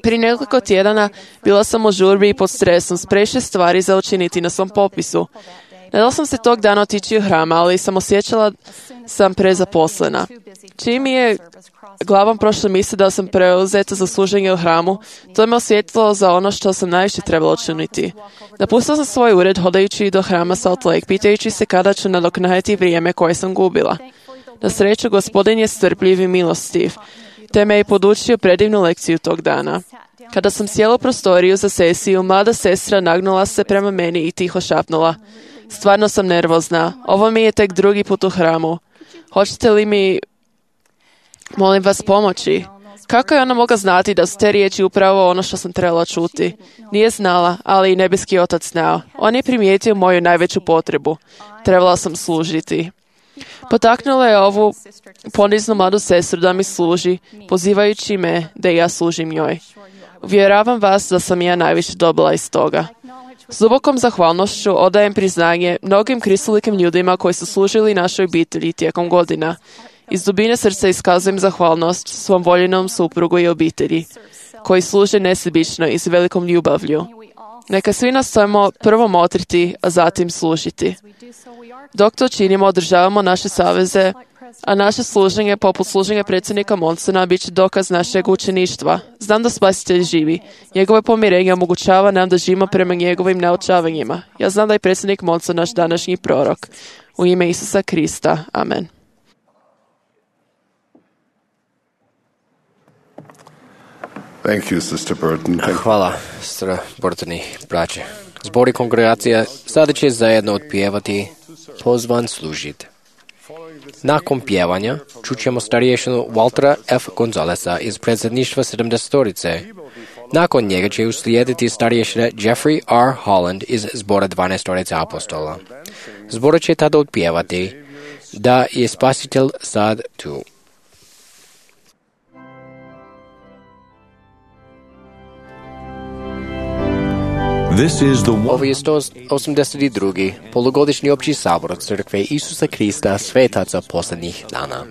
Prije nekoliko tjedana bila sam u žurbi i pod stresom s previše stvari za učiniti na svom popisu. Nadala sam se tog dana otići u hram, ali sam osjećala sam prezaposlena. Čim mi je glavom prošla misli da sam preuzeta za služenje u hramu, to me osvijetlilo za ono što sam najviše trebala učiniti. Napustila sam svoj ured hodajući do hrama Salt Lake, pitajući se kada ću nadoknaditi vrijeme koje sam gubila. Na sreću, Gospodin je strpljiv i milostiv, te me je podučio predivnu lekciju tog dana. Kada sam sjela u prostoriju za sesiju, mlada sestra nagnula se prema meni i tiho šapnula. Stvarno sam nervozna. Ovo mi je tek drugi put u hramu. Hoćete li mi, molim vas, pomoći? Kako je ona mogla znati da su te riječi upravo ono što sam trebala čuti? Nije znala, ali i nebeski otac znao. On je primijetio moju najveću potrebu. Trebala sam služiti. Potaknula je ovu poniznu mladu sestru da mi služi, pozivajući me da i ja služim njoj. Uvjeravam vas da sam ja najviše dobila iz toga. S dubokom zahvalnošću odajem priznanje mnogim kristolikim ljudima koji su služili našoj obitelji tijekom godina. Iz dubine srca iskazujem zahvalnost svom voljenom suprugu i obitelji, koji služe nesebično i s velikom ljubavlju. Neka svi nastojimo prvo motriti, a zatim služiti. Dok to činimo, održavamo naše saveze, a naše služenje, poput služenja predsjednika Monsona, bit će dokaz našeg učeništva. Znam da Spasitelj živi. Njegove pomirenje omogućava nam da živimo prema njegovim naučavanjima. Ja znam da je predsjednik Monson naš današnji prorok. U ime Isusa Krista. Amen. Thank you, Sister Burton. Thank Hvala, sestra Burton i braće. Zbor i kongregacija sada će zajedno otpjevati Pozvan služit. Nakon pjevanja čućemo starješinu Waltera F. Gonzalesa iz predsjedništva sedamdesetorice. Nakon njega će uslijediti starješina Jeffrey R. Holland iz zbora dvanaestorice apostola. Zbor će tada otpjevati da je Spasitelj sad tu. This is the Ovo je sto osamdeset drugi polugodišnji opći sabor Crkve Isusa Krista svetaca posljednjih dana.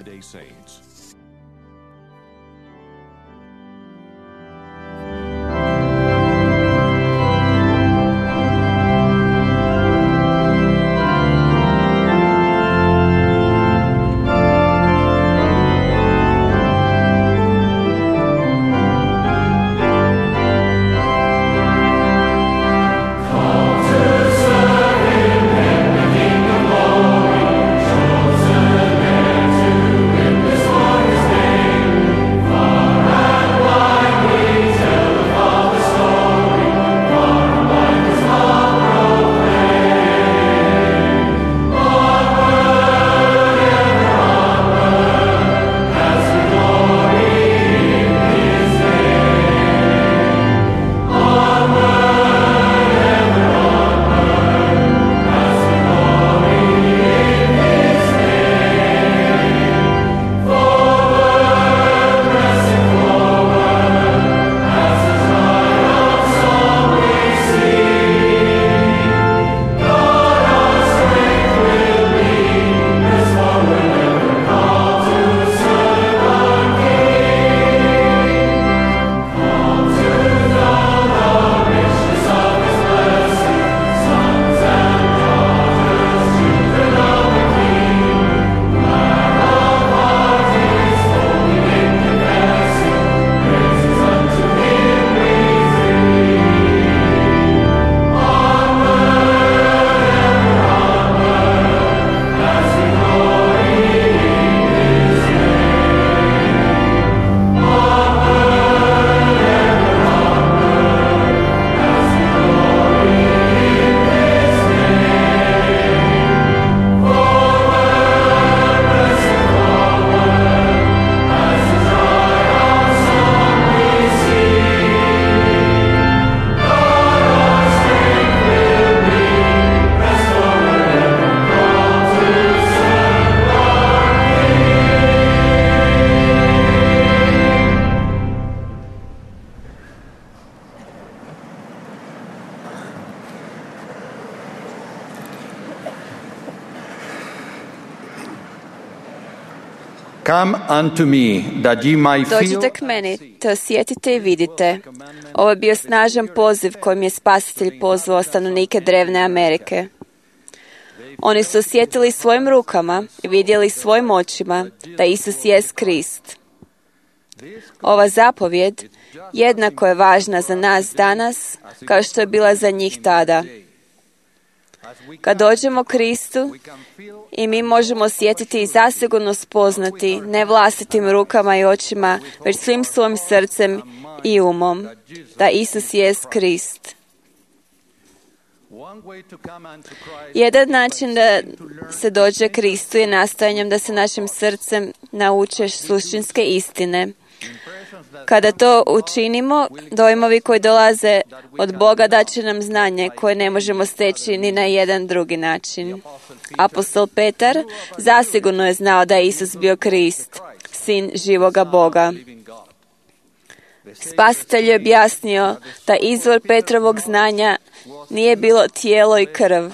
Come unto me, that ye might feel... Dođite k meni, te osjetite i vidite. Ovo je bio snažan poziv kojim je Spasitelj pozvao stanovnike drevne Amerike. Oni su osjetili svojim rukama i vidjeli svojim očima da Isus jest Krist. Ova zapovjed jednako je važna za nas danas kao što je bila za njih tada. Kad dođemo Kristu i mi možemo osjetiti i zasigurno spoznati ne vlastitim rukama i očima, već svim svojim srcem i umom, da Isus jest Krist. Jedan način da se dođe Kristu je nastojanjem da se našim srcem naučeš suštinske istine. Kada to učinimo, dojmovi koji dolaze od Boga daće nam znanje koje ne možemo steći ni na jedan drugi način. Apostol Petar zasigurno je znao da je Isus bio Krist, sin živoga Boga. Spasitelj je objasnio da izvor Petrovog znanja nije bilo tijelo i krv,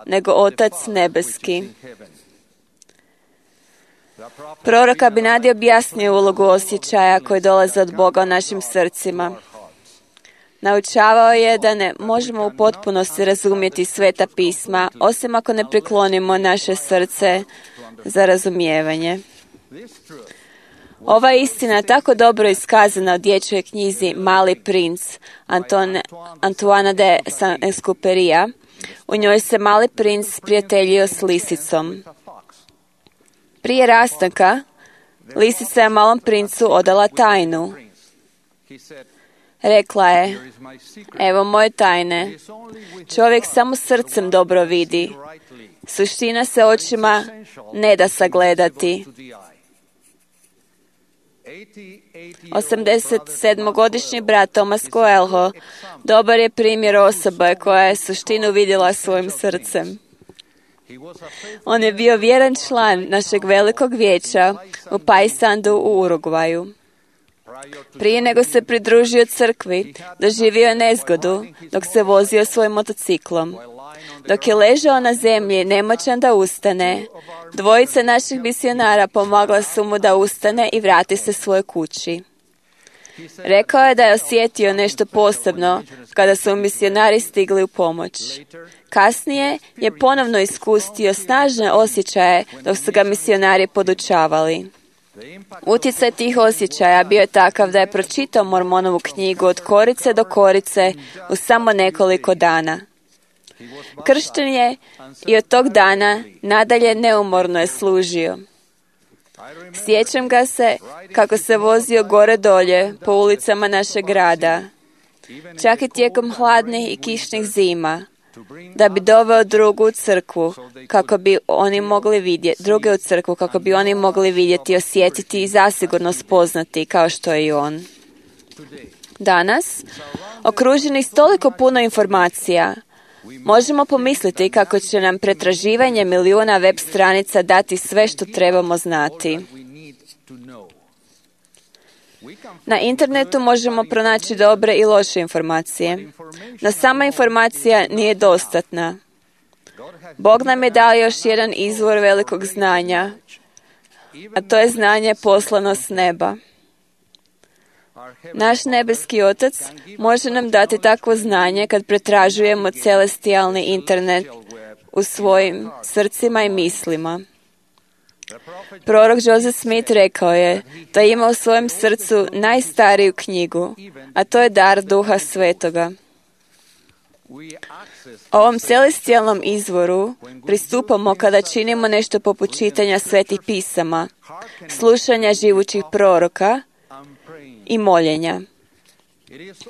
nego Otac nebeski. Prorok Abinadi objasnio ulogu osjećaja koji dolaze od Boga u našim srcima. Naučavao je da ne možemo u potpunosti razumjeti sveta pisma, osim ako ne priklonimo naše srce za razumijevanje. Ova istina je tako dobro iskazana u dječjoj knjizi Mali princ Antone, Antoana de Saint-Exupéryja. U njoj se mali princ prijateljio s lisicom. Prije rastanka, lisica je malom princu odala tajnu. Rekla je, evo moje tajne, čovjek samo srcem dobro vidi, suština se očima ne da sagledati. osamdesetsedmogodišnji brat Thomas Coelho dobar je primjer osobe koja je suštinu vidjela svojim srcem. On je bio vjeran član našeg velikog vijeća u Paysandu u Urugvaju. Prije nego se pridružio crkvi, doživio je nezgodu dok se vozio svojim motociklom. Dok je ležao na zemlji, nemoćan da ustane, dvojica naših misionara pomogla su mu da ustane i vrati se svojoj kući. Rekao je da je osjetio nešto posebno kada su misionari stigli u pomoć. Kasnije je ponovno iskusio snažne osjećaje dok su ga misionari podučavali. Utjecaj tih osjećaja bio je takav da je pročitao Mormonovu knjigu od korice do korice u samo nekoliko dana. Kršten je i od tog dana nadalje neumorno je služio. Sjećam ga se kako se vozio gore dolje po ulicama našeg grada, čak i tijekom hladnih i kišnih zima, da bi doveo drugu u crkvu kako bi oni mogli vidjeti, druge u crkvu kako bi oni mogli vidjeti, osjetiti i zasigurno spoznati kao što je i on. Danas, okruženi s toliko puno informacija, možemo pomisliti kako će nam pretraživanje milijuna web stranica dati sve što trebamo znati. Na internetu možemo pronaći dobre i loše informacije, no sama informacija nije dostatna. Bog nam je dao još jedan izvor velikog znanja, a to je znanje poslano s neba. Naš nebeski Otac može nam dati takvo znanje kad pretražujemo celestijalni internet u svojim srcima i mislima. Prorok Joseph Smith rekao je da ima u svojem srcu najstariju knjigu, a to je dar Duha Svetoga. Ovom celestijalnom izvoru pristupamo kada činimo nešto poput čitanja svetih pisama, slušanja živućih proroka i moljenja.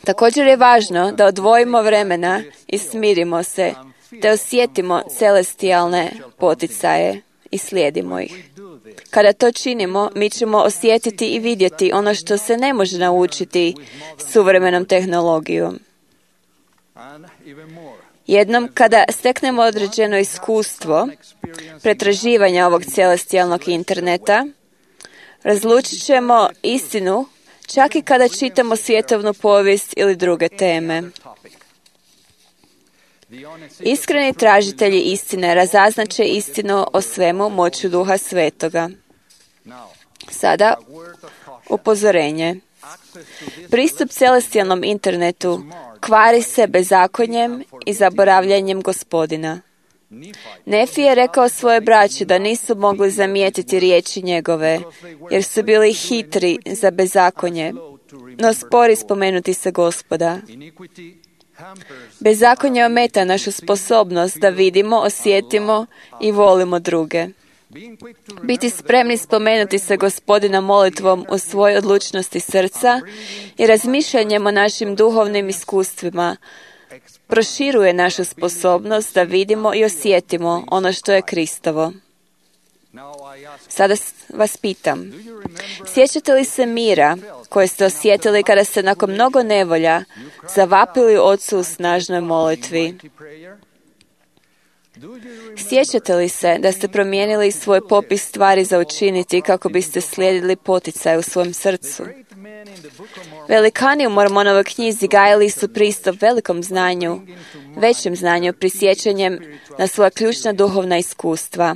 Također je važno da odvojimo vremena i smirimo se, te osjetimo celestijalne poticaje i slijedimo ih. Kada to činimo, mi ćemo osjetiti i vidjeti ono što se ne može naučiti suvremenom tehnologijom. Jednom kada steknemo određeno iskustvo pretraživanja ovog celestijalnog interneta, razlučit ćemo istinu čak i kada čitamo svjetovnu povijest ili druge teme. Iskreni tražitelji istine razaznaće istinu o svemu moću Duha Svetoga. Sada, upozorenje. Pristup celestijalnom internetu kvari se bezakonjem i zaboravljanjem Gospodina. Nefi je rekao svoje braći da nisu mogli zamijetiti riječi njegove, jer su bili hitri za bezakonje, no spori spomenuti se Gospoda. Bezakonje ometa našu sposobnost da vidimo, osjetimo i volimo druge. Biti spremni spomenuti se Gospodina molitvom u svojoj odlučnosti srca i razmišljanjem o našim duhovnim iskustvima proširuje našu sposobnost da vidimo i osjetimo ono što je Kristovo. Sada vas pitam, sjećate li se mira koje ste osjetili kada ste nakon mnogo nevolja zavapili Ocu u snažnoj molitvi? Sjećate li se da ste promijenili svoj popis stvari za učiniti kako biste slijedili poticaj u svojem srcu? Velikani u Mormonovoj knjizi gajili su pristup velikom znanju, većem znanju, prisjećanjem na svoja ključna duhovna iskustva.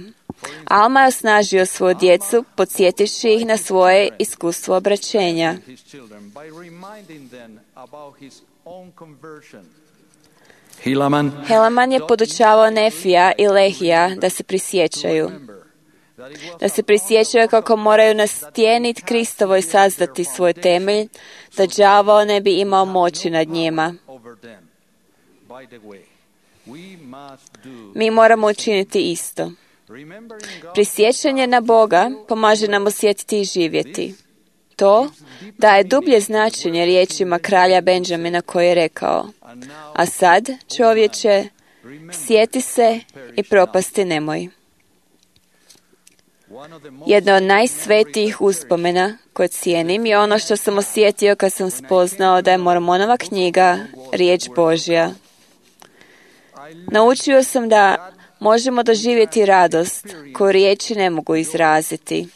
Alma je osnažio svoju djecu, podsjetivši ih na svoje iskustvo obraćenja. Helaman je podučavao Nefija i Lehija da se prisjećaju. Da se prisjećaju kako moraju nastijeniti Kristovo i sazdati svoj temelj, da đavao ne bi imao moći nad njima. Mi moramo učiniti isto. Prisjećanje na Boga pomaže nam osjetiti i živjeti. To daje dublje značenje riječima kralja Benjamina koji je rekao: a sad, čovječe, sjeti se i propasti nemoj. Jedna od najsvetijih uspomena koje cijenim je ono što sam osjetio kad sam spoznao da je Mormonova knjiga riječ Božja. Naučio sam da možemo doživjeti radost koju riječi ne mogu izraziti.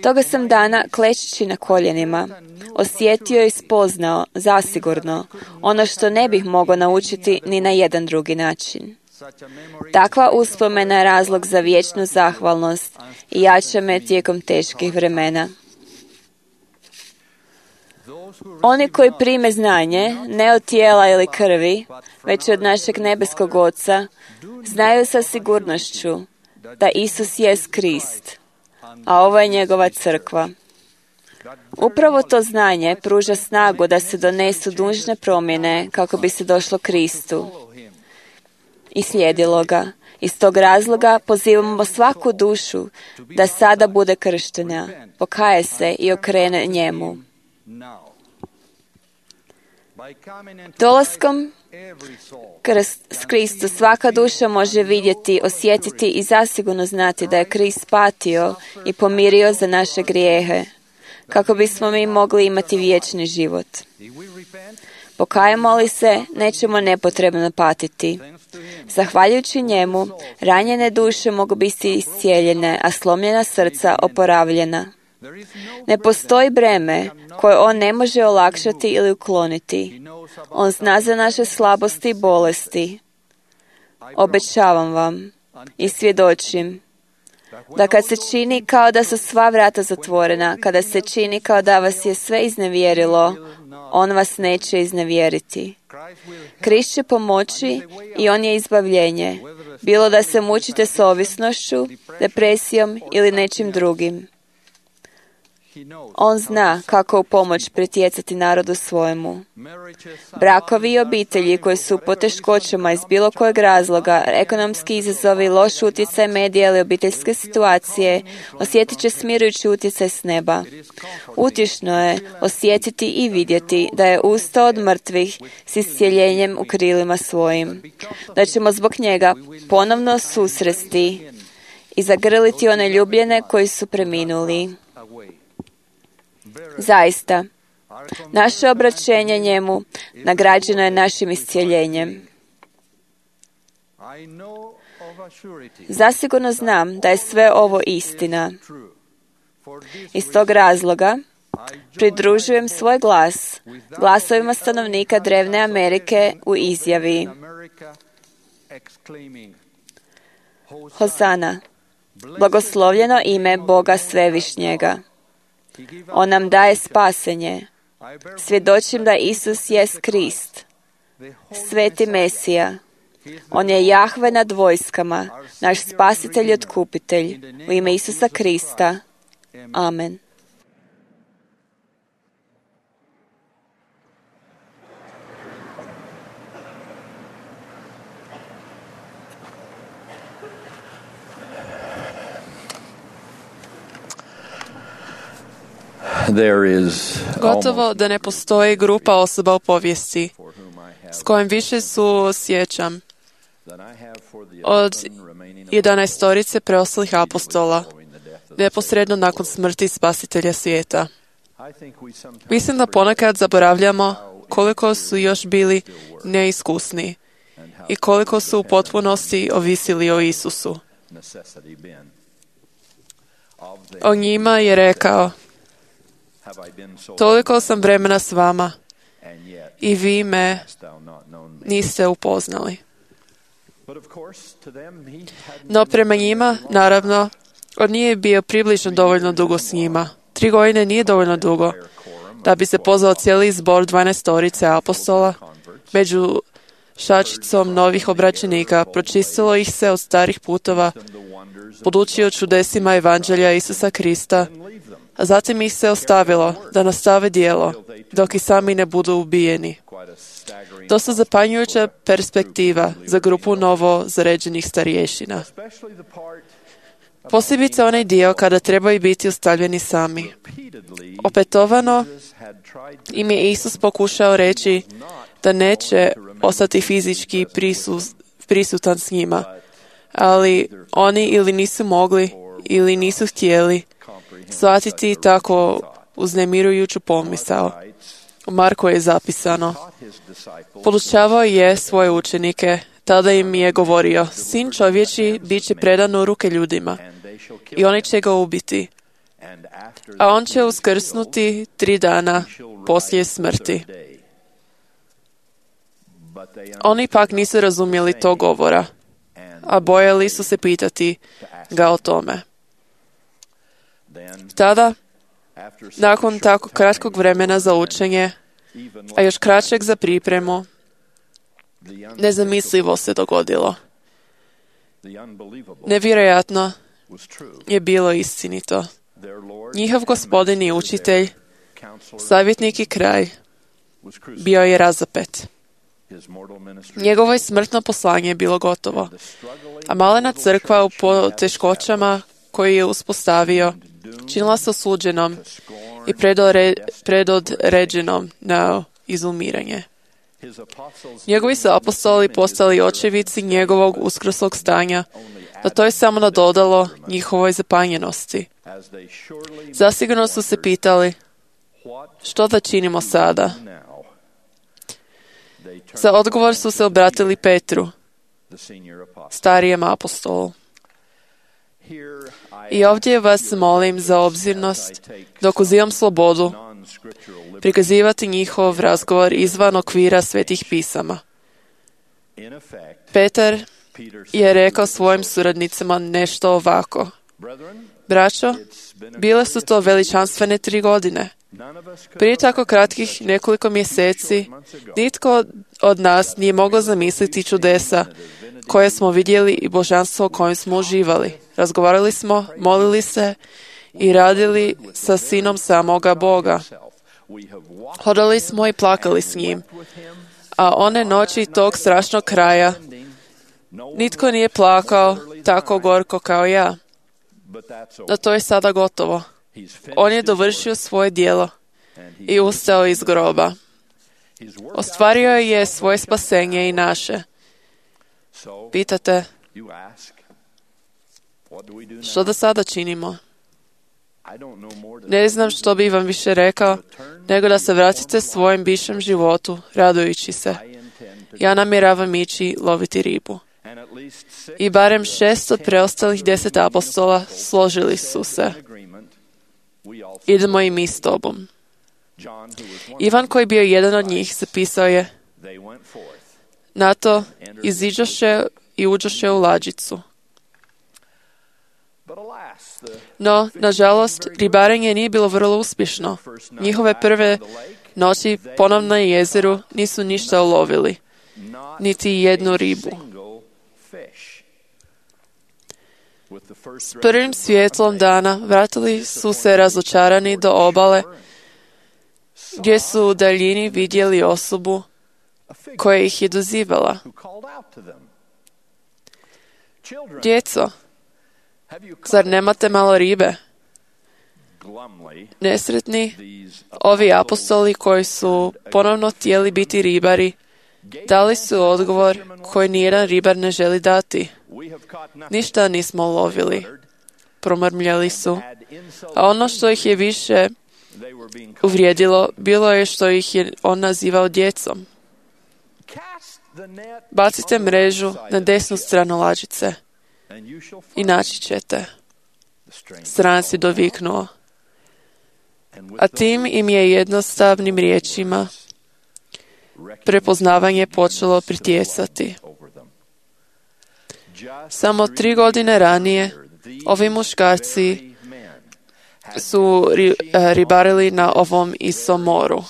Toga sam dana, klečeći na koljenima, osjetio i spoznao, zasigurno, ono što ne bih mogao naučiti ni na jedan drugi način. Takva uspomena je razlog za vječnu zahvalnost i jača me tijekom teških vremena. Oni koji prime znanje, ne od tijela ili krvi, već od našeg nebeskog Oca, znaju sa sigurnošću da Isus jest Krist, a ovo je njegova crkva. Upravo to znanje pruža snagu da se donesu dužne promjene kako bi se došlo Kristu i slijedilo ga. Iz tog razloga pozivamo svaku dušu da sada bude krštena, pokaje se i okrene njemu. Dolaskom s Kristu svaka duša može vidjeti, osjetiti i zasigurno znati da je Krist patio i pomirio za naše grijehe, kako bismo mi mogli imati vječni život. Pokajemo li se, nećemo nepotrebno patiti. Zahvaljujući njemu, ranjene duše mogu biti iscijeljene, a slomljena srca oporavljena. Ne postoji breme koje on ne može olakšati ili ukloniti. On zna za naše slabosti i bolesti. Obećavam vam i svjedočim da kad se čini kao da su sva vrata zatvorena, kada se čini kao da vas je sve iznevjerilo, on vas neće iznevjeriti. Krist će pomoći i on je izbavljenje, bilo da se mučite s ovisnošću, depresijom ili nečim drugim. On zna kako u pomoć pritjecati narodu svojemu. Brakovi i obitelji koji su u poteškoćama iz bilo kojeg razloga, ekonomski izazovi, loš utjecaj medija ili obiteljske situacije, osjetit će smirujući utjecaj s neba. Utješno je osjetiti i vidjeti da je ustao od mrtvih s iscjeljenjem u krilima svojim. Da ćemo zbog njega ponovno susresti i zagrliti one ljubljene koji su preminuli. Zaista, naše obraćenje njemu nagrađeno je našim iscijeljenjem. Zasigurno znam da je sve ovo istina. Iz tog razloga pridružujem svoj glas glasovima stanovnika drevne Amerike u izjavi: Hosana, blagoslovljeno ime Boga Svevišnjega. On nam daje spasenje. Svjedočim da Isus jest Krist, sveti Mesija. On je Jahve nad vojskama, naš spasitelj i otkupitelj. U ime Isusa Krista. Amen. there is Gotovo da ne postoji grupa osoba u povijesti s kojim više suosjećam od jedanaestorice preostalih apostola neposredno nakon smrti Spasitelja svijeta. Mislim da ponekad zaboravljamo koliko su još bili neiskusni i koliko su u potpunosti ovisili o Isusu. O njima je rekao: toliko sam vremena s vama i vi me niste upoznali. No prema njima, naravno, on nije bio približno dovoljno dugo s njima. Tri godine nije dovoljno dugo da bi se pozvao cijeli zbor dvanaestorice apostola. Među šačicom novih obraćenika pročistilo ih se od starih putova, podučio čudesima evanđelja Isusa Krista, a zatim ih se ostavilo da nastave djelo, dok i sami ne budu ubijeni. Dosta zapanjujuća perspektiva za grupu novo zaređenih starješina. Posebice onaj dio kada trebaju biti ostavljeni sami. Opetovano im je Isus pokušao reći da neće ostati fizički prisus, prisutan s njima, ali oni ili nisu mogli ili nisu htjeli shvatiti tako uznemirujuću pomisao. U Marku je zapisano: podučavao je svoje učenike, tada im je govorio: sin čovječi bit će predan u ruke ljudima i oni će ga ubiti, a on će uskrsnuti tri dana poslije smrti. Oni pak nisu razumjeli to govora, a bojali su se pitati ga o tome. Tada, nakon tako kratkog vremena za učenje, a još kraćeg za pripremu, nezamislivo se dogodilo. Nevjerojatno je bilo istinito. Njihov gospodin i učitelj, savjetnik i kralj, bio je razapet. Njegovo je smrtno poslanje je bilo gotovo, a malena crkva u poteškoćama koju je uspostavio činila se osuđenom i predore, predodređenom na izumiranje. Njegovi su apostoli postali očevici njegovog uskrslog stanja, da to je samo nadodalo njihovoj zapanjenosti. Zasigurno su se pitali: što da činimo sada? Za odgovor su se obratili Petru, starijem apostolu. I ovdje vas molim za obzirnost dok uzimam slobodu prikazivati njihov razgovor izvan okvira svetih pisama. Petar je rekao svojim suradnicima nešto ovako: braćo, bile su to veličanstvene tri godine. Prije tako kratkih nekoliko mjeseci nitko od nas nije mogao zamisliti čudesa koje smo vidjeli i božanstvo kojem smo uživali. Razgovarali smo, molili se i radili sa sinom samoga Boga. Hodali smo i plakali s njim. A one noći tog strašnog kraja nitko nije plakao tako gorko kao ja. No to je sada gotovo. On je dovršio svoje djelo i ustao iz groba. Ostvario je svoje spasenje i naše. Pitate, što da sada činimo? Ne znam što bi vam više rekao, nego da se vratite svojem bivšem životu, radujući se. Ja namjeravam ići loviti ribu. I barem šest od preostalih deset apostola složili su se: idemo i mi s tobom. Ivan, koji je bio jedan od njih, zapisao je: na to iziđoše i uđoše u lađicu. No, nažalost, ribarenje nije bilo vrlo uspješno. Njihove prve noći ponovno na jezeru nisu ništa ulovili, niti jednu ribu. S prvim svjetlom dana vratili su se razočarani do obale, gdje su u daljini vidjeli osobu koja ih je dozivala. Djeco, zar nemate malo ribe? nesretni ovi apostoli koji su ponovno htjeli biti ribari, dali su odgovor koji nijedan ribar ne želi dati. Ništa nismo lovili, promrmljali su. A ono što ih je više uvrijedilo, bilo je što ih je on nazivao djecom. Bacite mrežu na desnu stranu lađice i naći ćete. Stranac je doviknuo. A tim im je jednostavnim riječima prepoznavanje počelo pritjecati. Samo tri godine ranije ovi muškarci su ri, ribarili na ovom istom moru.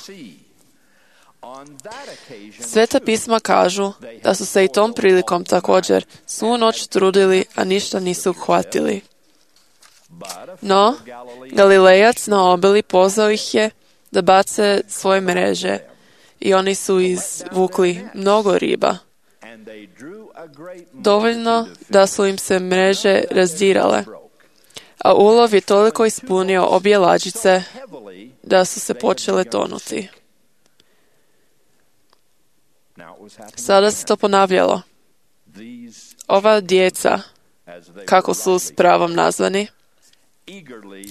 Sveta pisma kažu da su se i tom prilikom također svu noć trudili, a ništa nisu uhvatili. No, Galilejac na obali pozvao ih je da bace svoje mreže i oni su izvukli mnogo riba. Dovoljno da su im se mreže razdirale, a ulov je toliko ispunio obje lađice da su se počele tonuti. Sada se to ponavljalo. Ova djeca, kako su s pravom nazvani,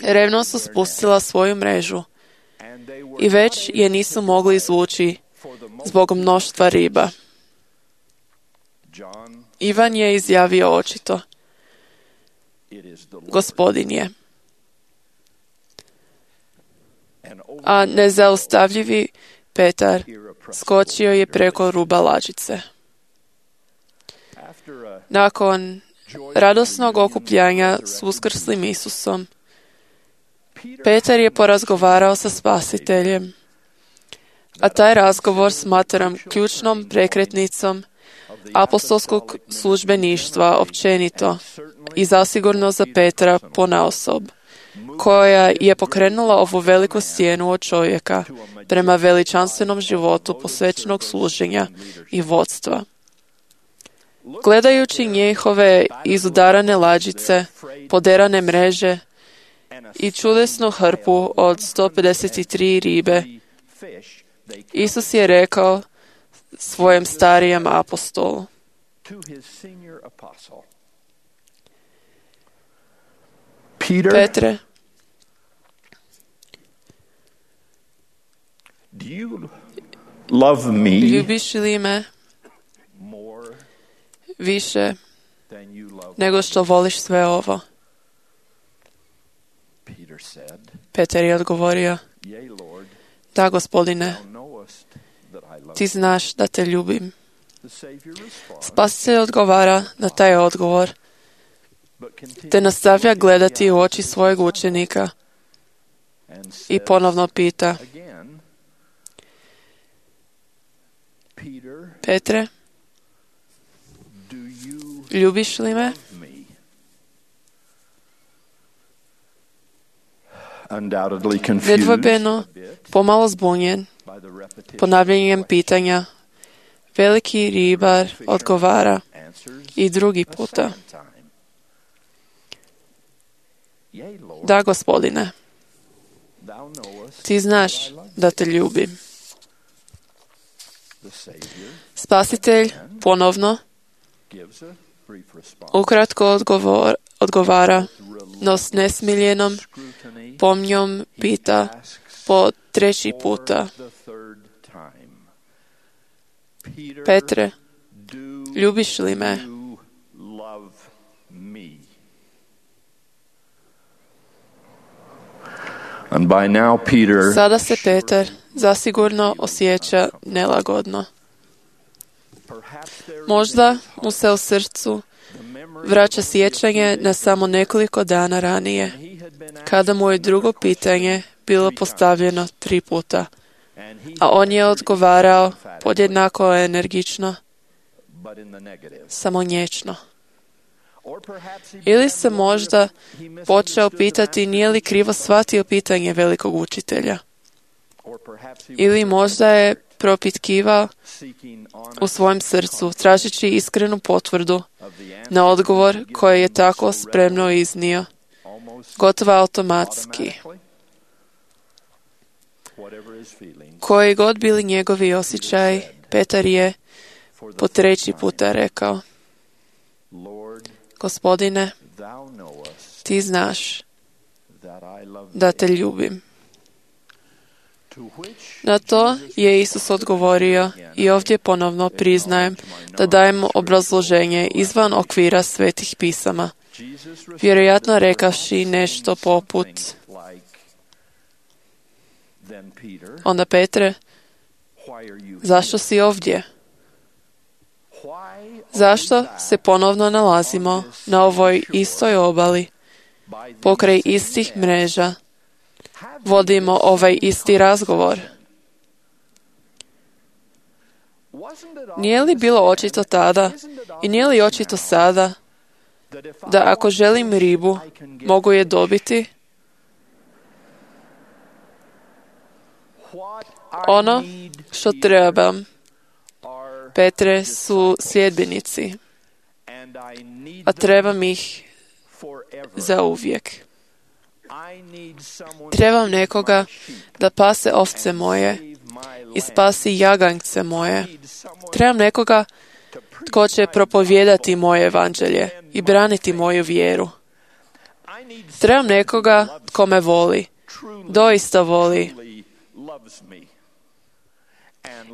revno su spustila svoju mrežu i već je nisu mogli izvući zbog mnoštva riba. Ivan je izjavio očito: Gospodin je. A nezaustavljivi Petar skočio je preko ruba lađice. Nakon radosnog okupljanja s uskrslim Isusom, Petar je porazgovarao sa Spasiteljem, a taj razgovor smatram ključnom prekretnicom apostolskog službeništva općenito i zasigurno za Petra ponaosob, koja je pokrenula ovu veliku stijenu od čovjeka prema veličanstvenom životu posvećenog služenja i vodstva. Gledajući njihove izudarane lađice, poderane mreže i čudesnu hrpu od sto pedeset tri ribe, Isus je rekao svojem starijem apostolu: Petre, love me ljubiš li me više nego što voliš sve ovo? Petar je odgovorio: Da, Gospodine, ti znaš da te ljubim. Spasitelj odgovara na taj odgovor, te nastavlja gledati u oči svojeg učenika i ponovno pita: Petre, ljubiš li me? Nedvojbeno, pomalo zbunjen ponavljanjem pitanja, veliki ribar odgovara i drugi puta: Da, Gospodine, ti znaš da te ljubim. Spasitelj ponovno ukratko odgovor, odgovara, no s nesmiljenom pomnjom pita po treći puta: Petre, ljubiš li me? Sada se Petar zasigurno osjeća nelagodno. Možda mu se u srcu vraća sjećanje na samo nekoliko dana ranije, kada mu je drugo pitanje bilo postavljeno tri puta, a on je odgovarao podjednako energično, samo nječno. Ili se možda počeo pitati nije li krivo shvatio pitanje velikog učitelja. Ili možda je propitkivao u svojem srcu, tražeći iskrenu potvrdu na odgovor koji je tako spremno iznio, gotovo automatski. Koji god bili njegovi osjećaj, Petar je po treći puta rekao: Gospodine, ti znaš da te ljubim. Na to je Isus odgovorio i ovdje ponovno priznajem da dajemo obrazloženje izvan okvira svetih pisama, vjerojatno rekavši nešto poput: Onda Petre, zašto si ovdje? Zašto se ponovno nalazimo na ovoj istoj obali, pokraj istih mreža, vodimo ovaj isti razgovor? Nije li bilo očito tada i nije li očito sada da ako želim ribu, mogu je dobiti? Ono što trebam, Petre, su sljedbenici, a trebam ih za uvijek. Trebam nekoga da pase ovce moje i spasi jaganjce moje. Trebam nekoga tko će propovijedati moje evanđelje i braniti moju vjeru. Trebam nekoga tko me voli, doista voli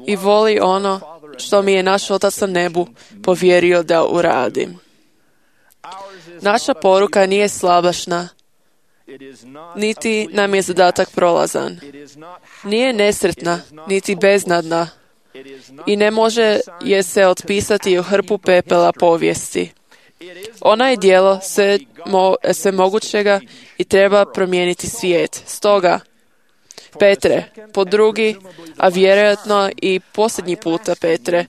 i voli ono što mi je naš Otac na nebu povjerio da uradim. Naša poruka nije slabašna, niti nam je zadatak prolazan. Nije nesretna, niti beznadna i ne može je se otpisati u hrpu pepela povijesti. Ona je djelo sve, mo, sve mogućega i treba promijeniti svijet. Stoga, Petre, po drugi, a vjerojatno i posljednji puta, Petre,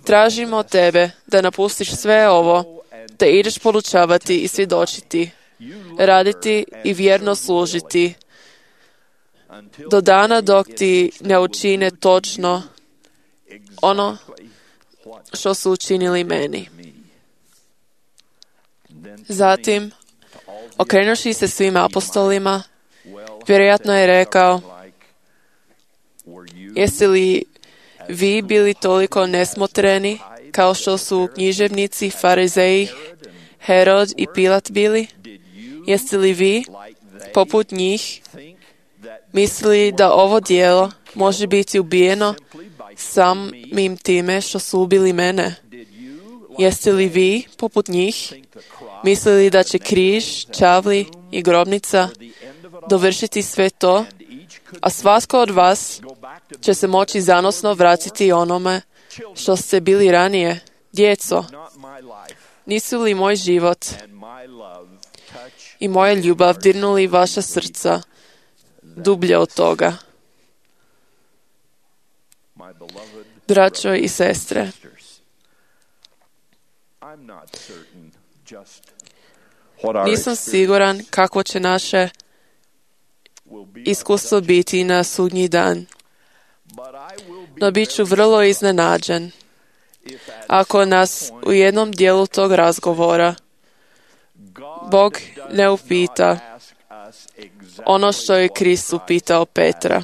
tražimo tebe da napustiš sve ovo, da ideš podučavati i svjedočiti, raditi i vjerno služiti, do dana dok ti ne učine točno ono što su učinili meni. Zatim, okrenuši se svim apostolima, vjerojatno je rekao: Jeste li vi bili toliko nesmotreni kao što su književnici, farizeji, Herod i Pilat bili? Jeste li vi, poput njih, mislili da ovo djelo može biti ubijeno samim time što su ubili mene? Jeste li vi, poput njih, mislili da će križ, čavli i grobnica dovršiti sve to, a svatko od vas će se moći zanosno vratiti onome što ste bili ranije? Djeco, nisu li moj život i moja ljubav dirnuli vaša srca dublje od toga? Braćo i sestre, nisam siguran kako će naše iskustvo biti na sudnji dan, no bit ću vrlo iznenađen ako nas u jednom dijelu tog razgovora Bog ne upita ono što je Krist upitao Petra: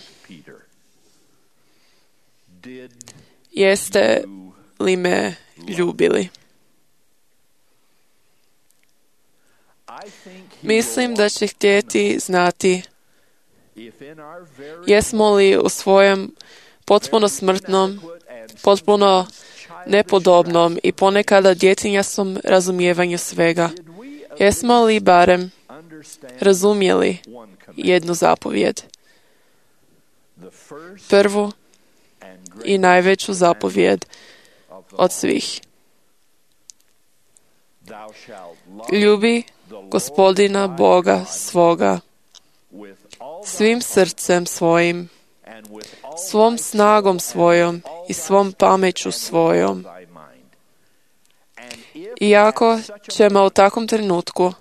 Jeste li me ljubili? Mislim da će htjeti znati jesmo li u svojem potpuno smrtnom, potpuno nepodobnom i ponekada djetinjastom razumijevanju svega, jesmo li barem razumjeli jednu zapovjed, prvu i najveću zapovjed od svih: ljubi Gospodina Boga svoga svim srcem svojim, svom snagom svojom i svom pameću svojom. Iako ćemo u takvom trenutku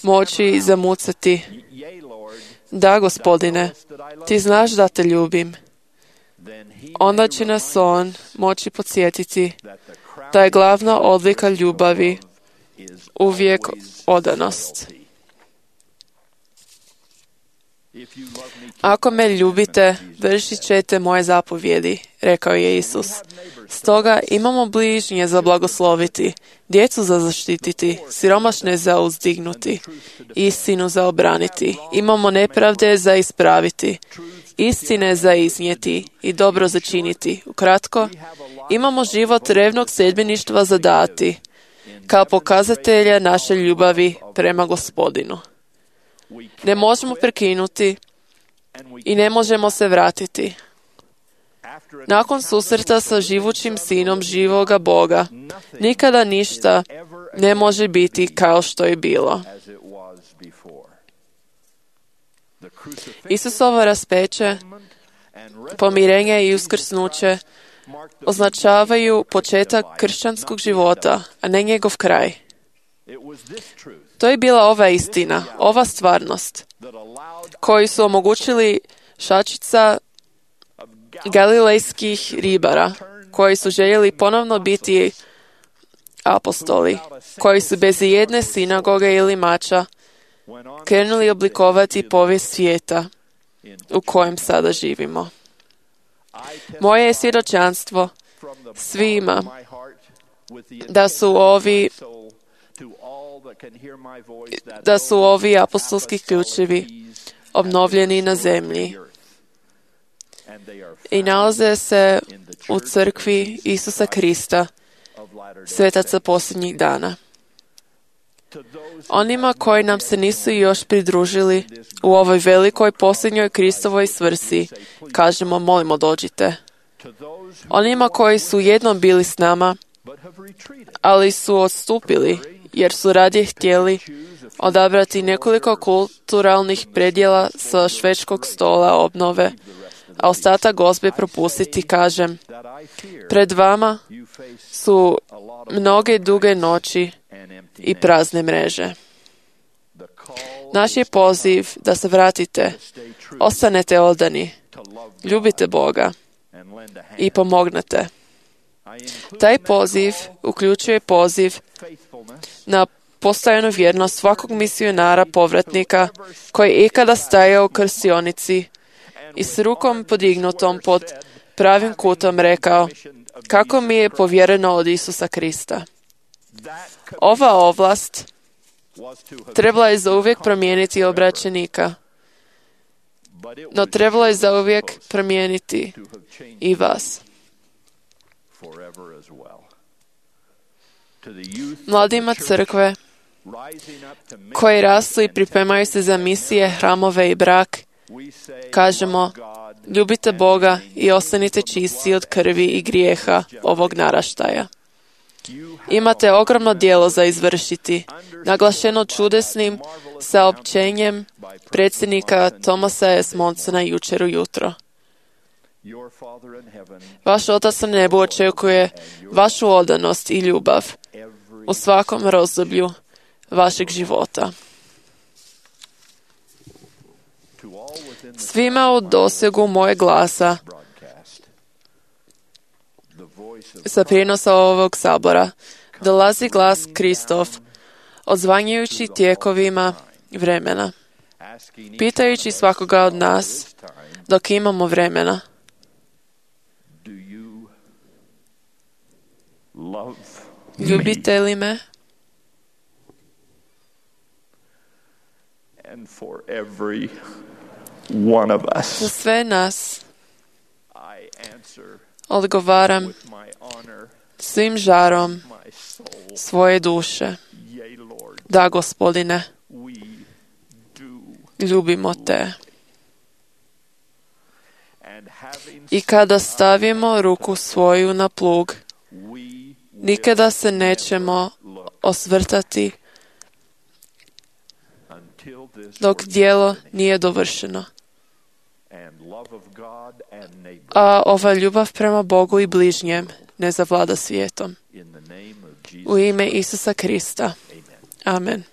moći zamucati: Da, Gospodine, ti znaš da te ljubim, onda će nas on moći podsjetiti da je glavna odlika ljubavi uvijek odanost. Ako me ljubite, vršit ćete moje zapovjedi, rekao je Isus. Stoga imamo bližnje za blagosloviti, djecu za zaštititi, siromašne za uzdignuti, istinu za obraniti. Imamo nepravde za ispraviti, istine za iznijeti i dobro za činiti. Ukratko, imamo život revnog sljedbeništva za dati, kao pokazatelja naše ljubavi prema Gospodinu. Ne možemo prekinuti i ne možemo se vratiti. Nakon susreta sa živućim sinom živoga Boga, nikada ništa ne može biti kao što je bilo. Isusovo raspeće, pomirenje i uskrsnuće označavaju početak kršćanskog života, a ne njegov kraj. To je bila ova istina, ova stvarnost, koji su omogućili šačica galilejskih ribara, koji su željeli ponovno biti apostoli, koji su bez jedne sinagoge ili mača krenuli oblikovati povijest svijeta u kojem sada živimo. Moje je svjedočanstvo svima da su ovi da su ovi apostolski ključevi obnovljeni na zemlji i nalaze se u crkvi Isusa Krista, svetaca posljednjih dana. Onima koji nam se nisu još pridružili u ovoj velikoj posljednjoj Kristovoj svrsi, kažemo, molimo, dođite. Onima koji su jednom bili s nama, ali su odstupili, jer su radije htjeli odabrati nekoliko kulturalnih predjela sa švedskog stola obnove, a ostatak gozbe propustiti, kažem, pred vama su mnoge duge noći i prazne mreže. Naš je poziv da se vratite, ostanete odani, ljubite Boga i pomognete. Taj poziv uključuje poziv na postojanu vjernost svakog misionara povratnika koji je ikada stajao u krstionici i s rukom podignutom pod pravim kutom rekao: kako mi je povjereno od Isusa Krista. Ova ovlast trebala je zauvijek promijeniti obraćenika, no trebalo je zauvijek promijeniti i vas. Mladima crkve koji rastu i pripremaju se za misije, hramove i brak, kažemo: ljubite Boga i ostanite čisti od krvi i grijeha ovog naraštaja. Imate ogromno djelo za izvršiti, naglašeno čudesnim saopćenjem predsjednika Thomasa S. Monsona jučer ujutro. Vaš Otac na nebu očekuje vašu odanost i ljubav u svakom razdoblju vašeg života. Svima u dosegu moje glasa sa prijenosa ovog sabora dolazi glas Kristov, odzvanjujući tijekovima vremena, pitajući svakoga od nas dok imamo vremena: ljubite li me? Za sve nas odgovaram svim žarom svoje duše: da, Gospodine, ljubimo te. I kada stavimo ruku svoju na plug, nikada se nećemo osvrtati dok djelo nije dovršeno. A ova ljubav prema Bogu i bližnjem ne zavlada svijetom. U ime Isusa Krista. Amen.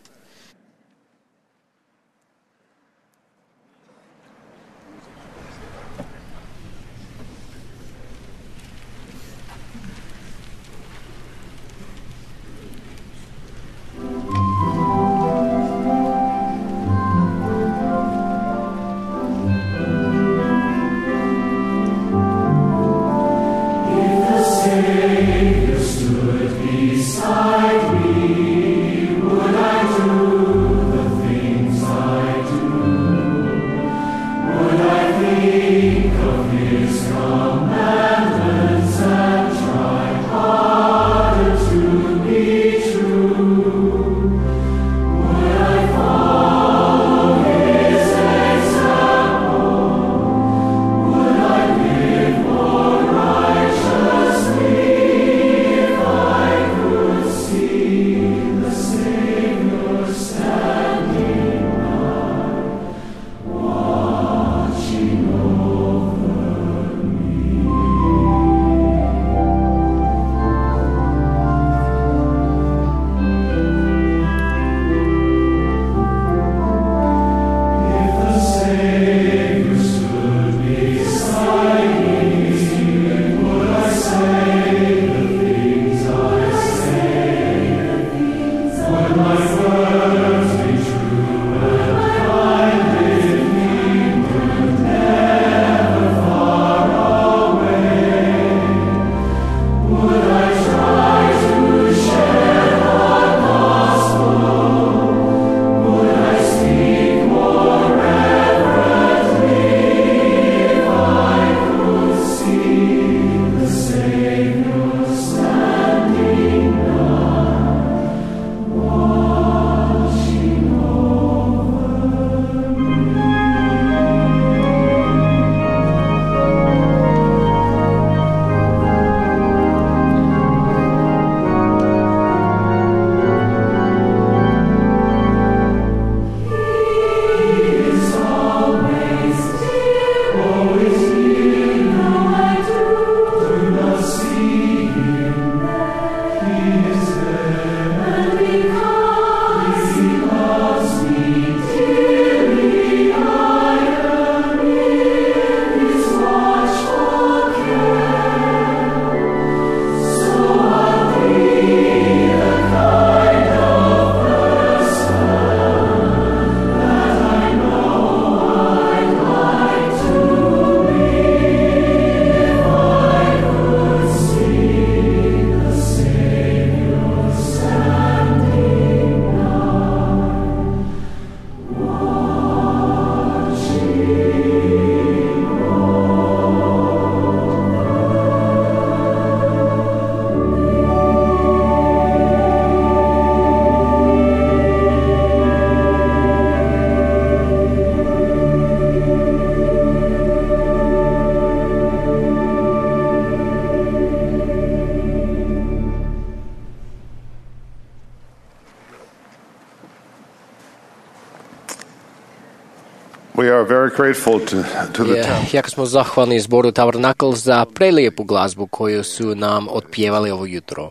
are very grateful to, to the Je, temple. jako smo zahvalni zboru Tabernakl za prelijepu glazbu koju su nam otpjevali ovo jutro.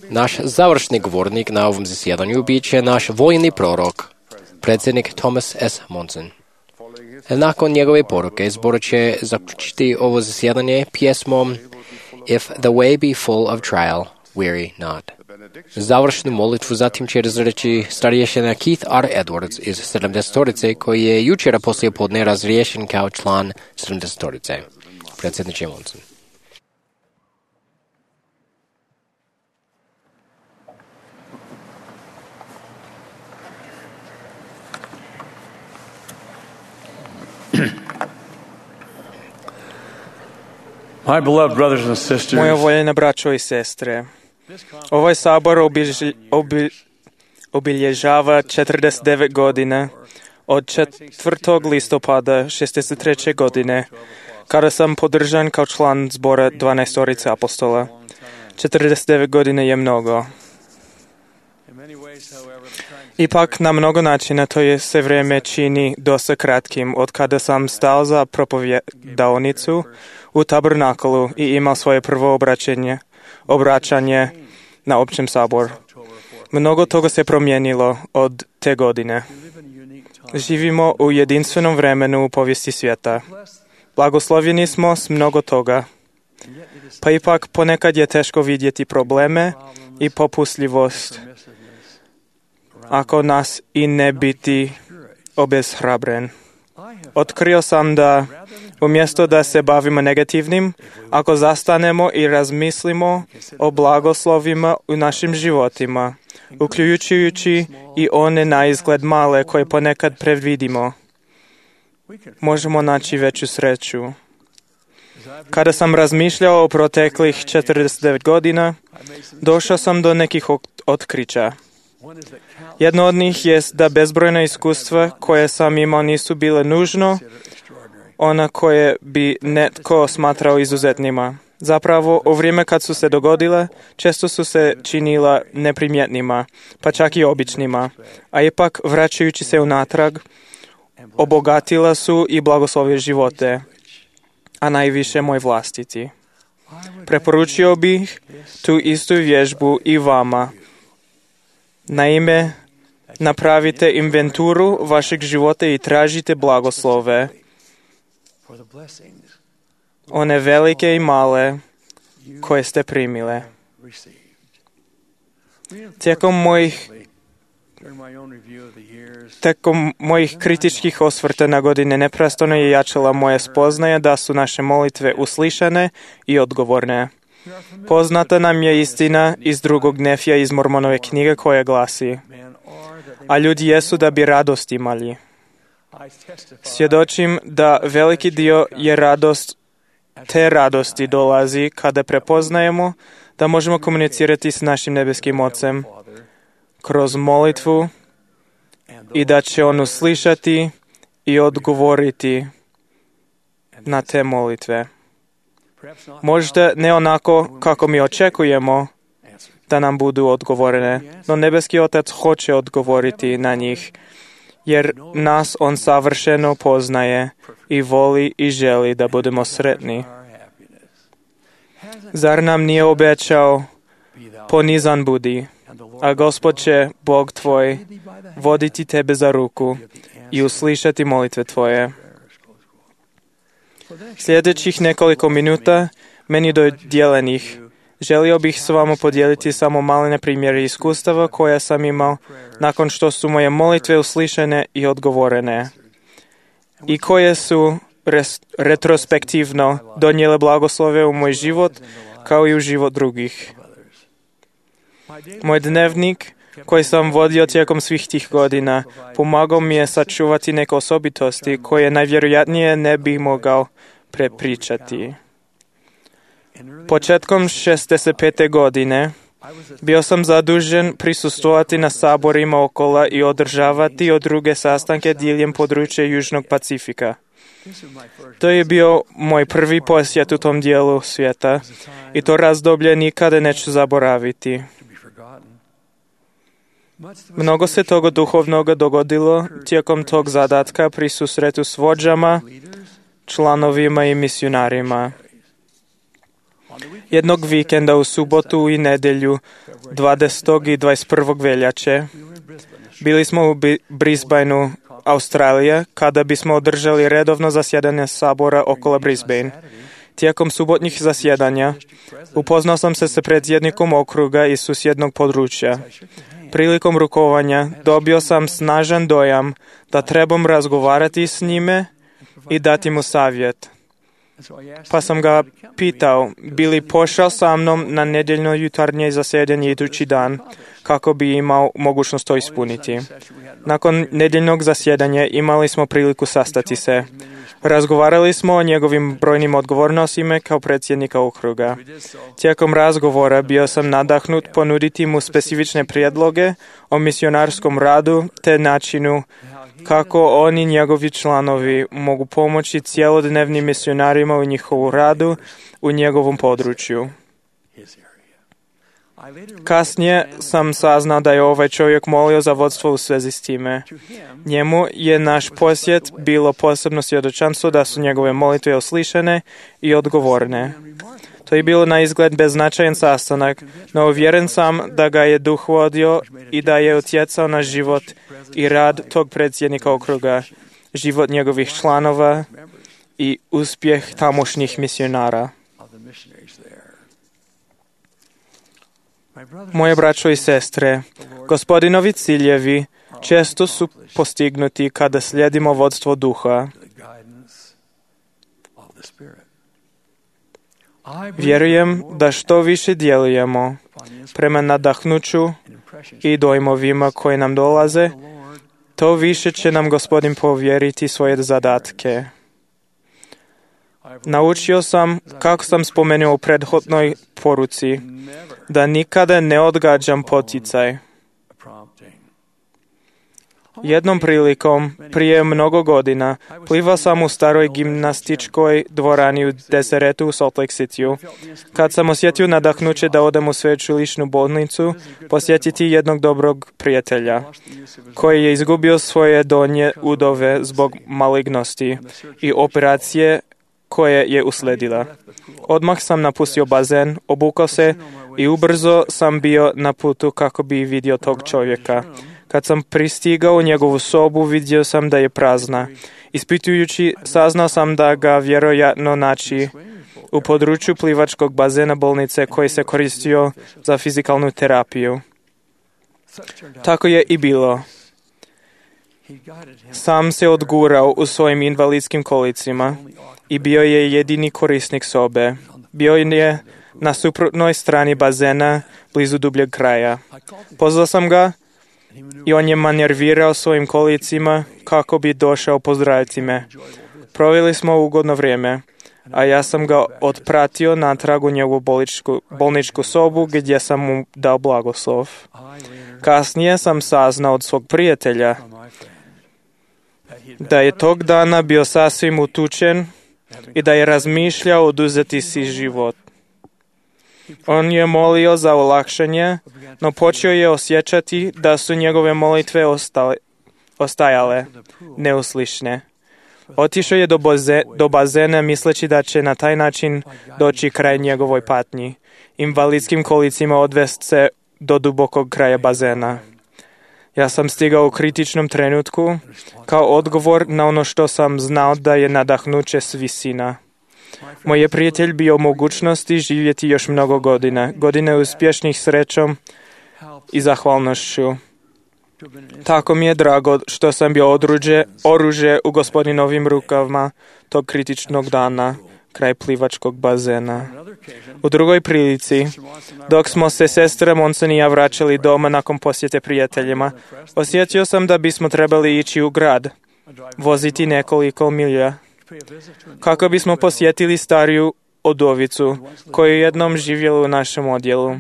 Naš završni govornik na ovom zasjedanju bit će naš vojni prorok, predsjednik Thomas S. Monson. Nakon njegove poruke zbor će zaključiti ovo zasjedanje pjesmom If the way be full of trial, weary not. Završnu molitvu zatim će razreći starješina Keith R. Edwards iz sedamdesetorice koji je jučera poslije podne razriješen kao član sedamdesetorice. Predsjedniče Monson. My beloved brothers and sisters, Moja voljena braćo i sestre, ovaj sabor obilje, obi, obilježava četrdeset devet godina od četvrtog listopada šezdeset treće godine, kada sam podržan kao član zbora dvanaestorice apostola. četrdeset devet godina je mnogo. Ipak, na mnogo načina to je se vrijeme čini dosta kratkim od kada sam stao za propovjedaonicu u Tabernaklu i imao svoje prvo obraćanje, obraćanje na općem saboru. Mnogo toga se promijenilo od te godine. Živimo u jedinstvenom vremenu u povijesti svijeta. Blagoslovljeni smo s mnogo toga. Pa ipak ponekad je teško vidjeti probleme i popustljivost ako nas i ne biti obeshrabren. Otkrio sam da umjesto da se bavimo negativnim, ako zastanemo i razmislimo o blagoslovima u našim životima, uključujući i one na izgled male koje ponekad predvidimo, možemo naći veću sreću. Kada sam razmišljao o proteklih četrdeset devet godina, došao sam do nekih otkrića. Jedno od njih je da bezbrojna iskustva koje sam imao nisu bile nužno ona koje bi netko smatrao izuzetnima. Zapravo, u vrijeme kad su se dogodile, često su se činila neprimjetnima, pa čak i običnima, a ipak, vraćajući se unatrag, obogatila su i blagoslovile živote, a najviše moj vlastiti. Preporučio bih tu istu vježbu i vama. Naime, napravite inventuru vašeg života i tražite blagoslove, one velike i male koje ste primile. Tijekom mojih Tijekom mojih kritičkih osvrta na godine neprestano je jačala moja spoznaja da su naše molitve uslišane i odgovorne. Poznata nam je istina iz drugog Nefija iz Mormonove knjige koja glasi: a ljudi jesu da bi radost imali. Svjedočim da veliki dio je radost, te radosti dolazi kada prepoznajemo da možemo komunicirati s našim nebeskim Ocem kroz molitvu i da će On uslišati i odgovoriti na te molitve. Možda ne onako kako mi očekujemo da nam budu odgovorene, no nebeski Otac hoće odgovoriti na njih, jer nas On savršeno poznaje i voli i želi da budemo sretni. Zar nam nije obećao: ponizan budi, a Gospod će, Bog tvoj, voditi tebe za ruku i uslišati molitve tvoje. Sljedećih nekoliko minuta, meni dodijeljenih, želio bih s vama podijeliti samo malene primjere iskustava koja sam imao nakon što su moje molitve uslišene i odgovorene i koje su res, retrospektivno donijele blagoslove u moj život kao i u život drugih. Moj dnevnik koji sam vodio tijekom svih tih godina pomagao mi je sačuvati neke osobitosti koje najvjerojatnije ne bih mogao prepričati. Početkom šezdeset pete godine bio sam zadužen prisustvovati na saborima okola i održavati od druge sastanke diljem područja Južnog Pacifika. To je bio moj prvi posjet u tom dijelu svijeta i to razdoblje nikada neću zaboraviti. Mnogo se toga duhovnoga dogodilo tijekom tog zadatka pri susretu s vođama, članovima i misionarima. Jednog vikenda u subotu i nedjelju dvadesetog i dvadeset prvog veljače bili smo u Brisbaneu, Australija, kada bismo održali redovno zasjedanje sabora okolo Brisbane. Tijekom subotnjih zasjedanja upoznao sam se sa predsjednikom okruga iz susjednog područja. Prilikom rukovanja dobio sam snažan dojam da trebam razgovarati s njime i dati mu savjet. Pa sam ga pitao, bi li pošao sa mnom na nedjeljno jutarnje zasjedanje idući dan, kako bi imao mogućnost to ispuniti. Nakon nedjeljnog zasjedanja imali smo priliku sastati se. Razgovarali smo o njegovim brojnim odgovornostima kao predsjednika okruga. Tijekom razgovora bio sam nadahnut ponuditi mu specifične prijedloge o misionarskom radu te načinu kako oni i njegovi članovi mogu pomoći cjelodnevnim misionarima u njihovu radu u njegovom području. Kasnije sam saznao da je ovaj čovjek molio za vodstvo u svezi s time. Njemu je naš posjet bilo posebno svjedočanstvo da su njegove molitve uslišane i odgovorne. To je bilo na izgled beznačajan sastanak, no uvjeren sam da ga je duh vodio i da je utjecao na život i rad tog predsjednika okruga, život njegovih članova i uspjeh tamošnjih misionara. Moje braćo i sestre, Gospodinovi ciljevi često su postignuti kada slijedimo vodstvo duha. Vjerujem da što više djelujemo prema nadahnuću i dojmovima koje nam dolaze, to više će nam Gospodin povjeriti svoje zadatke. Naučio sam, kako sam spomenuo u prethodnoj poruci, da nikada ne odgađam poticaj. Jednom prilikom, prije mnogo godina, plivao sam u staroj gimnastičkoj dvorani u Deseretu u Salt Lake Cityu. Kad sam osjetio nadahnuće da odem u sveučilišnu bolnicu, posjetiti jednog dobrog prijatelja, koji je izgubio svoje donje udove zbog malignosti i operacije koje je usledila. Odmah sam napustio bazen, obukao se i ubrzo sam bio na putu kako bi vidio tog čovjeka. Kad sam pristigao u njegovu sobu, vidio sam da je prazna. Ispitujući, saznao sam da ga vjerojatno naći u području plivačkog bazena bolnice koji se koristio za fizikalnu terapiju. Tako je i bilo. Sam se odgurao u svojim invalidskim kolicima i bio je jedini korisnik sobe. Bio je na suprotnoj strani bazena, blizu dubljeg kraja. Pozvao sam ga i on je manervirao svojim kolicima kako bi došao pozdraviti me. Proveli smo ugodno vrijeme, a ja sam ga otpratio natrag u njegovu bolničku, bolničku sobu gdje sam mu dao blagoslov. Kasnije sam saznao od svog prijatelja da je tog dana bio sasvim utučen i da je razmišljao oduzeti si život. On je molio za olakšanje, no počeo je osjećati da su njegove molitve ostale, ostajale neuslišne. Otišao je do, boze, do bazena misleći da će na taj način doći kraj njegovoj patnji. Invalidskim kolicima odvest se do dubokog kraja bazena. Ja sam stigao u kritičnom trenutku kao odgovor na ono što sam znao da je nadahnuće s visina. Moj je prijatelj bio u mogućnosti živjeti još mnogo godina, godine uspješnih srećom i zahvalnošću. Tako mi je drago što sam bio odruđe, oružje u Gospodinovim rukavama tog kritičnog dana kraj plivačkog bazena. U drugoj prilici, dok smo se sestra Monson i ja vraćali doma nakon posjete prijateljima, osjetio sam da bismo trebali ići u grad, voziti nekoliko milja, kako bismo posjetili stariju udovicu koju jednom živjela u našem odjelu.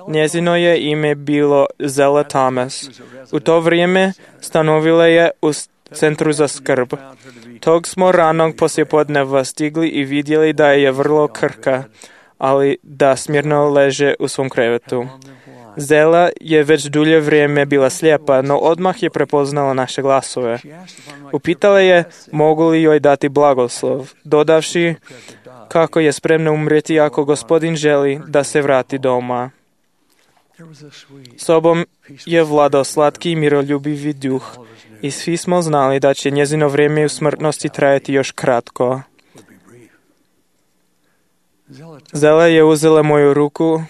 Njezino je ime bilo Zella Thomas. U to vrijeme stanovila je u centru za skrb. Tog smo ranog poslijepodneva stigli i vidjeli da je vrlo krhka, ali da smirno leže u svom krevetu. Zela je već dulje vrijeme bila slijepa, no odmah je prepoznala naše glasove. Upitala je mogu li joj dati blagoslov, dodavši kako je spremna umrijeti ako Gospodin želi da se vrati doma. Sobom je vladao slatki i miroljubivi duh i svi smo znali da će njezino vrijeme u smrtnosti trajati još kratko. Zela je uzela moju ruku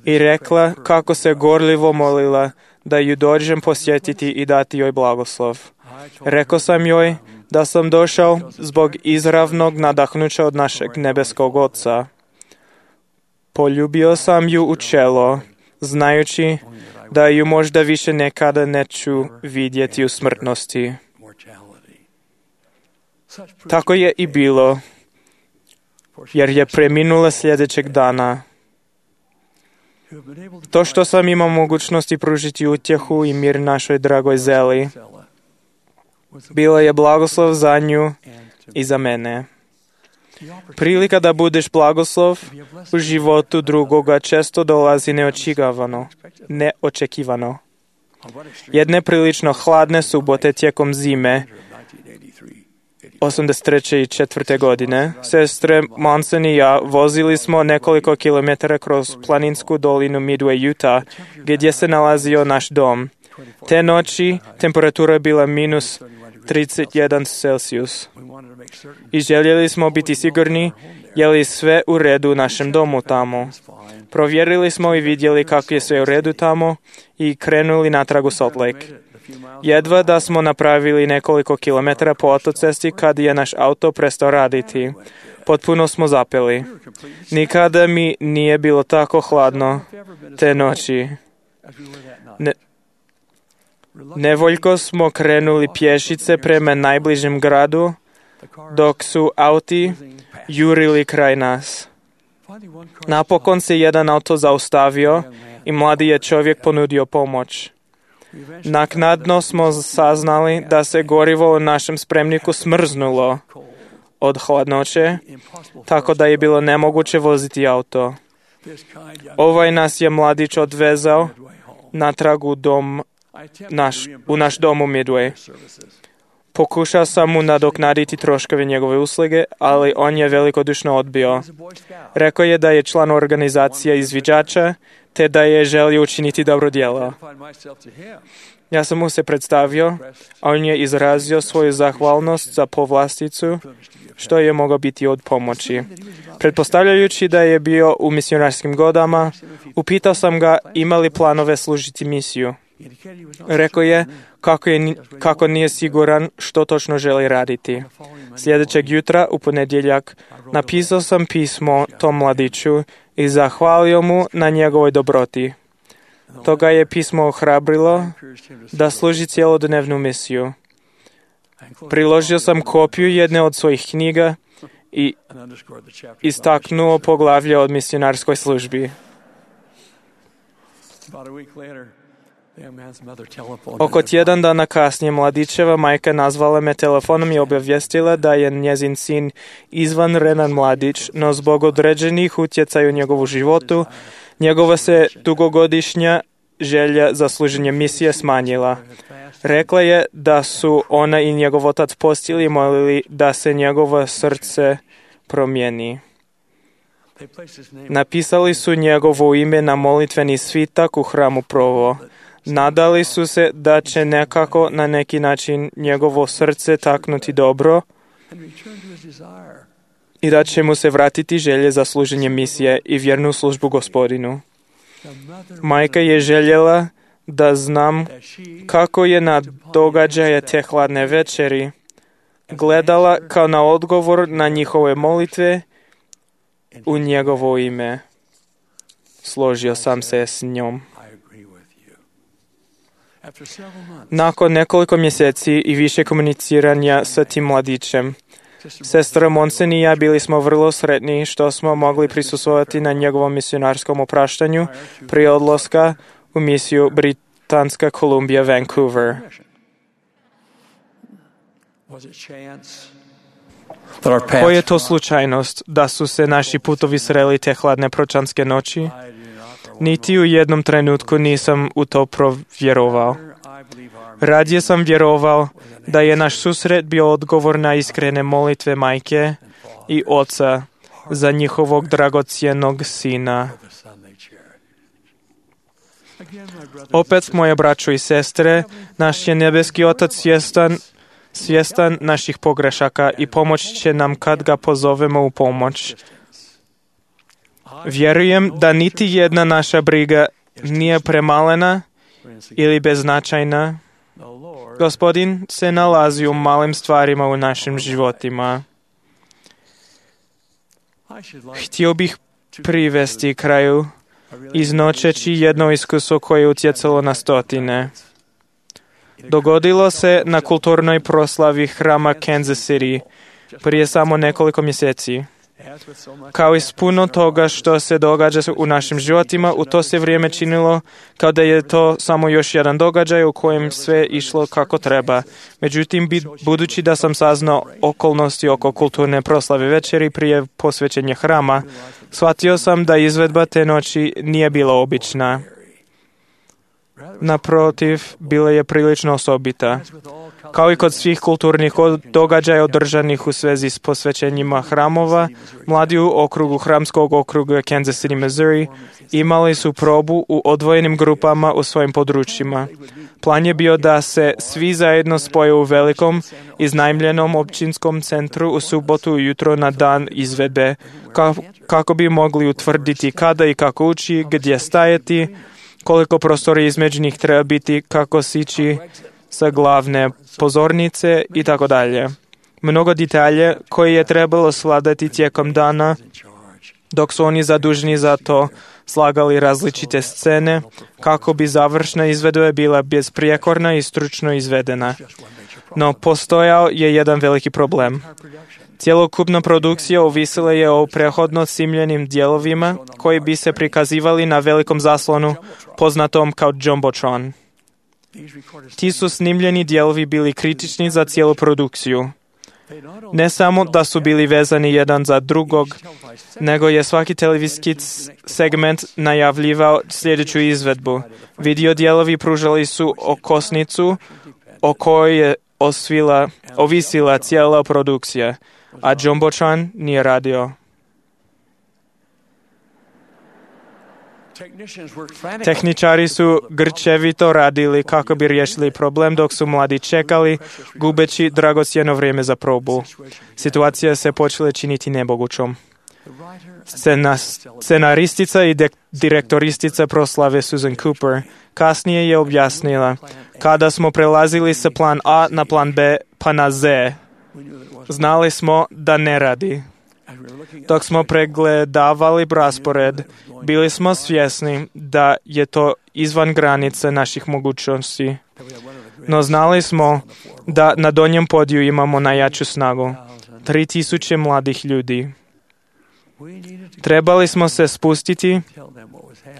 i rekla kako se gorljivo molila da ju dođem posjetiti i dati joj blagoslov. Rekao sam joj da sam došao zbog izravnog nadahnuća od našeg nebeskog Oca. Poljubio sam ju u čelo, znajući da ju možda više nekada neću vidjeti u smrtnosti. Tako je i bilo, jer je preminula sljedećeg dana. To što sam imao mogućnosti pružiti utjehu i mir našoj dragoj Zeli, bila je blagoslov za nju i za mene. Prilika da budeš blagoslov u životu drugoga često dolazi neočekivano. neočekivano. Jedne prilično hladne subote tijekom zime osamdeset treće i četvrte godine, sestre Monson i ja vozili smo nekoliko kilometara kroz planinsku dolinu Midway, Utah, gdje se nalazio naš dom. Te noći temperatura je bila minus trideset jedan Celsius. I željeli smo biti sigurni je li sve u redu u našem domu tamo. Provjerili smo i vidjeli kako je sve u redu tamo i krenuli natrag u Salt Lake. Jedva da smo napravili nekoliko kilometara po autocesti kad je naš auto prestao raditi. Potpuno smo zapeli. Nikada mi nije bilo tako hladno te noći. Ne, nevoljko smo krenuli pješice prema najbližem gradu, dok su auti jurili kraj nas. Napokon se jedan auto zaustavio i mladi je čovjek ponudio pomoć. Naknadno smo saznali da se gorivo u našem spremniku smrznulo od hladnoće, tako da je bilo nemoguće voziti auto. Ovaj nas je mladić odvezao natrag u dom naš, u naš dom u Midway. Pokušao sam mu nadoknaditi troškove njegove usluge, ali on je velikodušno odbio. Rekao je da je član organizacije izviđača, te da je želio učiniti dobro djelo. Ja sam mu se predstavio, a on je izrazio svoju zahvalnost za povlasticu, što je mogao biti od pomoći. Pretpostavljajući da je bio u misionarskim godama, upitao sam ga ima li planove služiti misiju. Rekao je kako, je kako nije siguran što točno želi raditi. Sljedećeg jutra, u ponedjeljak, napisao sam pismo tom mladiću i zahvalio mu na njegovoj dobroti. Toga je pismo ohrabrilo da služi cjelodnevnu misiju. Priložio sam kopiju jedne od svojih knjiga i istaknuo poglavlje od misionarskoj službi. Oko tjedan dana kasnije mladićeva majka nazvala me telefonom i obavijestila da je njezin sin izvanredan mladić, no zbog određenih utjecaja u njegovu životu, njegova se dugogodišnja želja za služenje misije smanjila. Rekla je da su ona i njegov otac postili i molili da se njegovo srce promijeni. Napisali su njegovo ime na molitveni svitak u hramu Provo. Nadali su se da će nekako na neki način njegovo srce taknuti dobro i da će mu se vratiti želje za služenje misije i vjernu službu Gospodinu. Majka je željela da znam kako je na događaje te hladne večeri gledala kao na odgovor na njihove molitve u njegovo ime. Složio sam se s njom. Nakon nekoliko mjeseci i više komuniciranja sa tim mladićem, sestra Monson i ja bili smo vrlo sretni što smo mogli prisustvovati na njegovom misionarskom opraštanju prije odlaska u misiju Britanska Kolumbija, Vancouver. Koja je to slučajnost da su se naši putovi sreli te hladne pročanske noći? Niti u jednom trenutku nisam u to provjerovao. Radije sam vjerovao da je naš susret bio odgovor na iskrene molitve majke i oca za njihovog dragocjenog sina. Opet, moje braćo i sestre, naš je nebeski Otac svjestan, svjestan naših pogrešaka i pomoći će nam kad ga pozovemo u pomoć. Vjerujem da niti jedna naša briga nije premalena ili beznačajna. Gospodin se nalazi u malim stvarima u našim životima. Htio bih privesti kraju iznočeći jedno iskustvo koje je utjecalo na stotine. Dogodilo se na kulturnoj proslavi hrama Kansas City prije samo nekoliko mjeseci. Kao i s puno toga što se događa u našim životima, u to se vrijeme činilo kao da je to samo još jedan događaj u kojem sve išlo kako treba. Međutim, budući da sam saznao okolnosti oko kulturne proslave večeri prije posvećenja hrama, shvatio sam da izvedba te noći nije bila obična. Naprotiv, bila je prilično osobita. Kao i kod svih kulturnih događaja održanih u svezi s posvećenjima hramova, mladi u okrugu hramskog okruga Kansas City, Missouri, imali su probu u odvojenim grupama u svojim područjima. Plan je bio da se svi zajedno spoje u velikom, iznajmljenom općinskom centru u subotu ujutro na dan izvedbe, kako bi mogli utvrditi kada i kako ući, gdje stajati, koliko prostora između njih treba biti, kako sići sa glavne pozornice i tako dalje. Mnogo detalje koje je trebalo sladati tijekom dana, dok su oni zaduženi za to slagali različite scene, kako bi završna izvedba bila besprijekorna i stručno izvedena. No, postojao je jedan veliki problem. Cjelokupna produkcija ovisila je o prehodno snimljenim dijelovima koji bi se prikazivali na velikom zaslonu poznatom kao Jumbotron. Ti su snimljeni dijelovi bili kritični za cijelu produkciju. Ne samo da su bili vezani jedan za drugog, nego je svaki televizijski segment najavljivao sljedeću izvedbu. Video dijelovi pružali su okosnicu o kojoj je osvila, ovisila cijela produkcija, a Jumbotron nije radio. Tehničari su grčevito radili kako bi riješili problem dok su mladi čekali, gubeći dragocjeno vrijeme za probu. Situacija se počela činiti nemogućom. Scena, scenaristica i de, direktoristica proslave Susan Cooper kasnije je objasnila: kada smo prelazili sa plan A na plan B pa na Z, znali smo da ne radi. Dok smo pregledavali raspored, bili smo svjesni da je to izvan granice naših mogućnosti. No znali smo da na donjem podiju imamo najjaču snagu. Tri tisuće mladih ljudi. Trebali smo se spustiti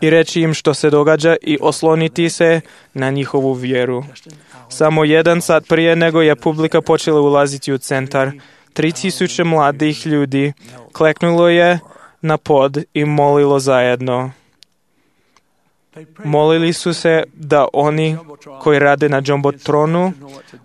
i reći im što se događa i osloniti se na njihovu vjeru. Samo jedan sat prije nego je publika počela ulaziti u centar, tri tisuće mladih ljudi kleknulo je na pod i molilo zajedno. Molili su se da oni koji rade na Jumbotronu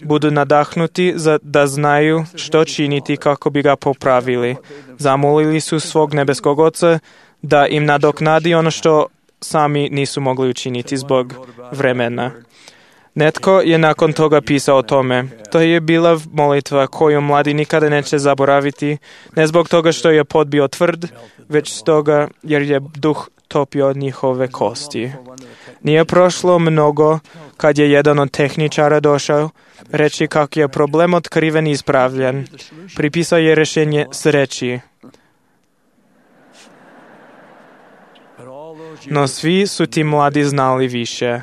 budu nadahnuti za da znaju što činiti kako bi ga popravili. Zamolili su svog nebeskog Oca da im nadoknadi ono što sami nisu mogli učiniti zbog vremena. Netko je nakon toga pisao o tome. To je bila molitva koju mladi nikada neće zaboraviti, ne zbog toga što je pod bio tvrd, već stoga jer je duh topio njihove kosti. Nije prošlo mnogo kad je jedan od tehničara došao reći kako je problem otkriven i ispravljen. Pripisao je rješenje sreći. No svi su ti mladi znali više.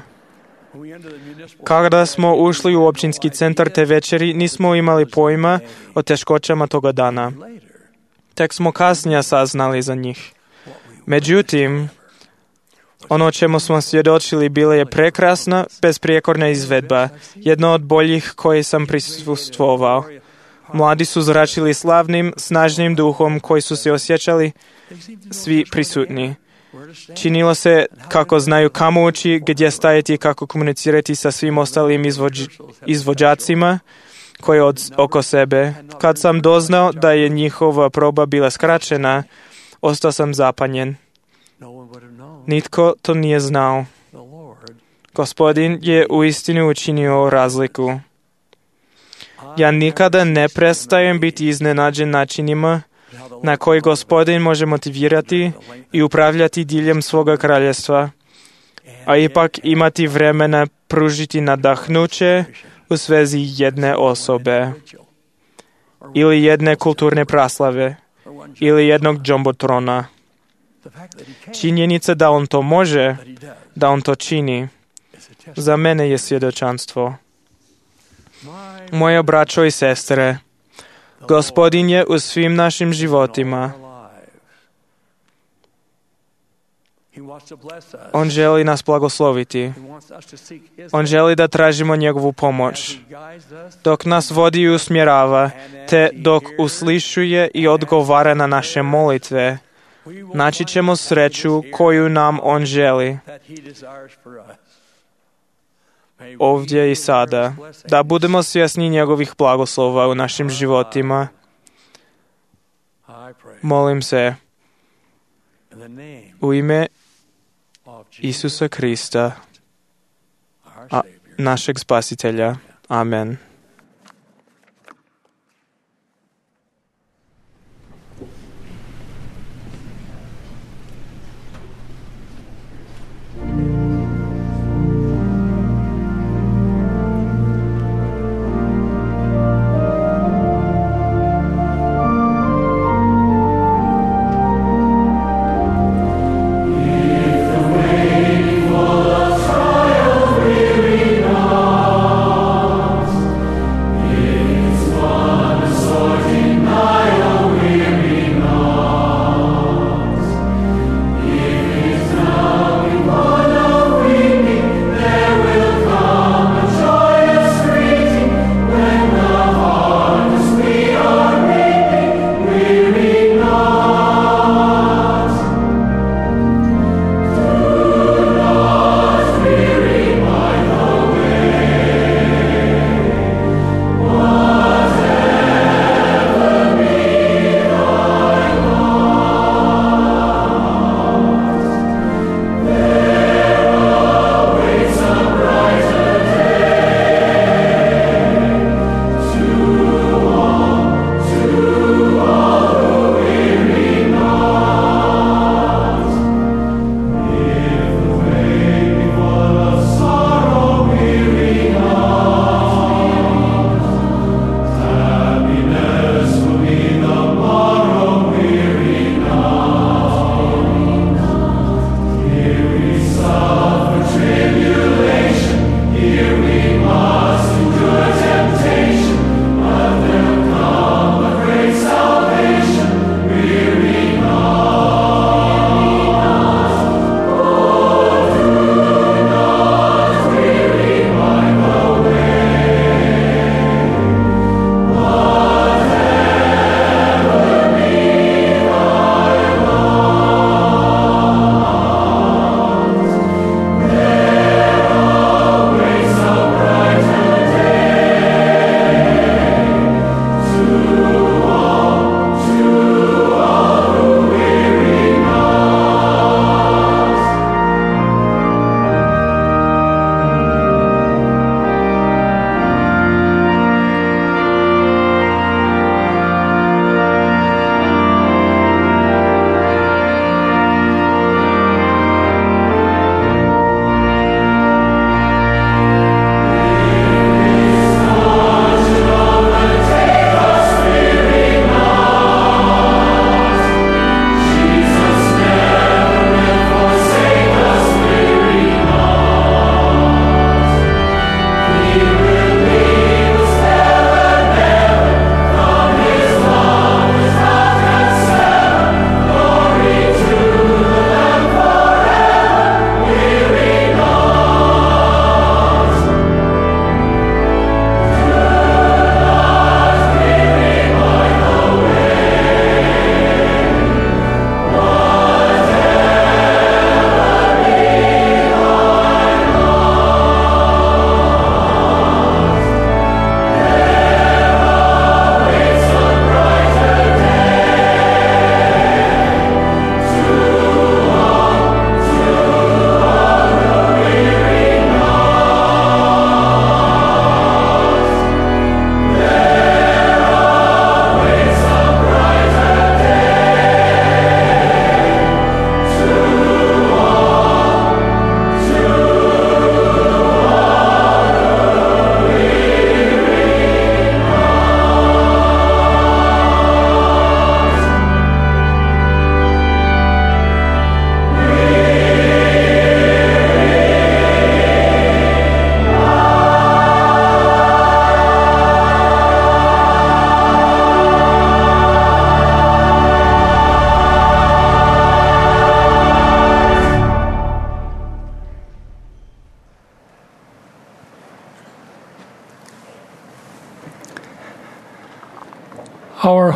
Kada smo ušli u općinski centar te večeri, nismo imali pojma o teškoćama toga dana. Tek smo kasnije saznali za njih. Međutim, ono čemu smo svjedočili bila je prekrasna, besprijekorna izvedba, jedna od boljih koje sam prisustvovao. Mladi su zračili slavnim, snažnim duhom koji su se osjećali svi prisutni. Činilo se kako znaju kamo ući, gdje stajati i kako komunicirati sa svim ostalim izvođ, izvođacima koji od oko sebe. Kad sam doznao da je njihova proba bila skraćena, ostao sam zapanjen. Nitko to nije znao. Gospodin je uistinu učinio razliku. Ja nikada ne prestajem biti iznenađen načinima na koji Gospodin može motivirati i upravljati diljem svoga kraljestva, a ipak imati vremena pružiti nadahnuće u svezi jedne osobe, ili jedne kulturne praslave, ili jednog jumbotrona. Činjenica da on to može, da on to čini, za mene je svjedočanstvo. Moje braćo i sestre, Gospodin je u svim našim životima. On želi nas blagosloviti. On želi da tražimo njegovu pomoć. Dok nas vodi i usmjerava, te dok uslišuje i odgovara na naše molitve, naći ćemo sreću koju nam on želi. Ovdje i sada, da budemo svjesni njegovih blagoslova u našim životima. Molim se u ime Isusa Krista, a, našeg Spasitelja. Amen. If the way full of trial really knows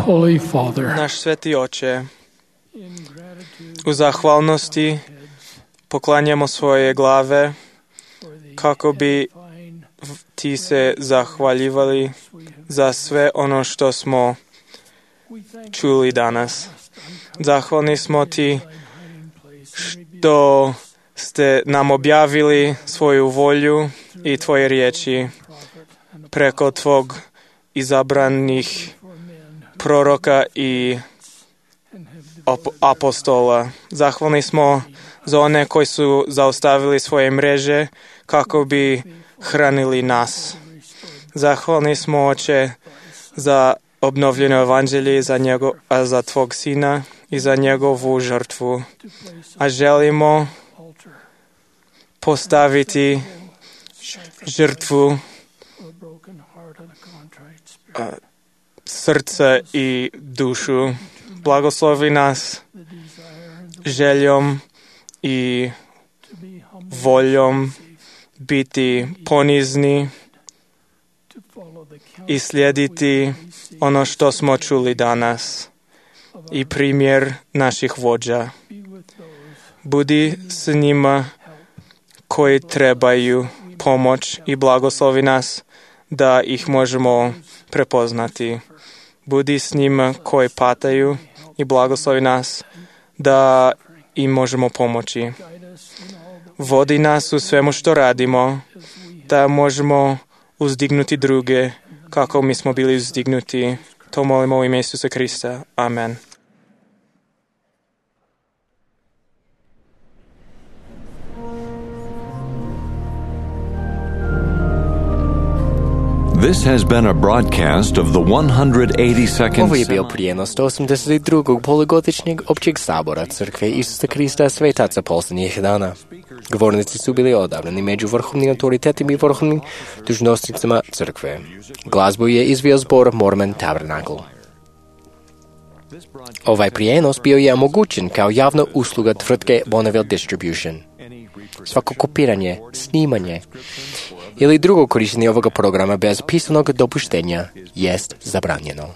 Holy Father, naš sveti oče, u zahvalnosti poklanjamo svoje glave kako bi ti se zahvaljivali za sve ono što smo čuli danas. Zahvalni smo ti što ste nam objavili svoju volju i tvoje riječi preko tvog izabranih proroka i apostola. Zahvalni smo za one koji su zaustavili svoje mreže kako bi hranili nas. Zahvalni smo, Oče, za obnovljeno evanđelje, za, njego, a za tvog sina i za njegovu žrtvu. A želimo postaviti žrtvu a, srca i dušu. Blagoslovi nas željom i voljom biti ponizni i slijediti ono što smo čuli danas i primjer naših vođa. Budi s njima koji trebaju pomoć i blagoslovi nas da ih možemo prepoznati. Budi s njima koji pataju i blagoslovi nas da im možemo pomoći. Vodi nas u svemu što radimo, da možemo uzdignuti druge kako mi smo bili uzdignuti. To molimo u ime Isusa Krista. Amen. This has been a broadcast of the one hundred eighty-second Ovo je bio prijenos sto osamdeset drugog polugodišnjeg općeg sabora Crkve Isusa Krista svetaca posljednjih dana. Govornici su bili odabrani među vrhovnim autoritetima i vrhovnim dužnosnicima Crkve. Glazbu je izveo zbor Mormon Tabernacle. Ovaj prijenos bio je omogućen kao javna usluga tvrtke Bonneville Distribution. Svako kopiranje, snimanje ili drugo korištenje ovoga programa bez pisanog dopuštenja jest zabranjeno.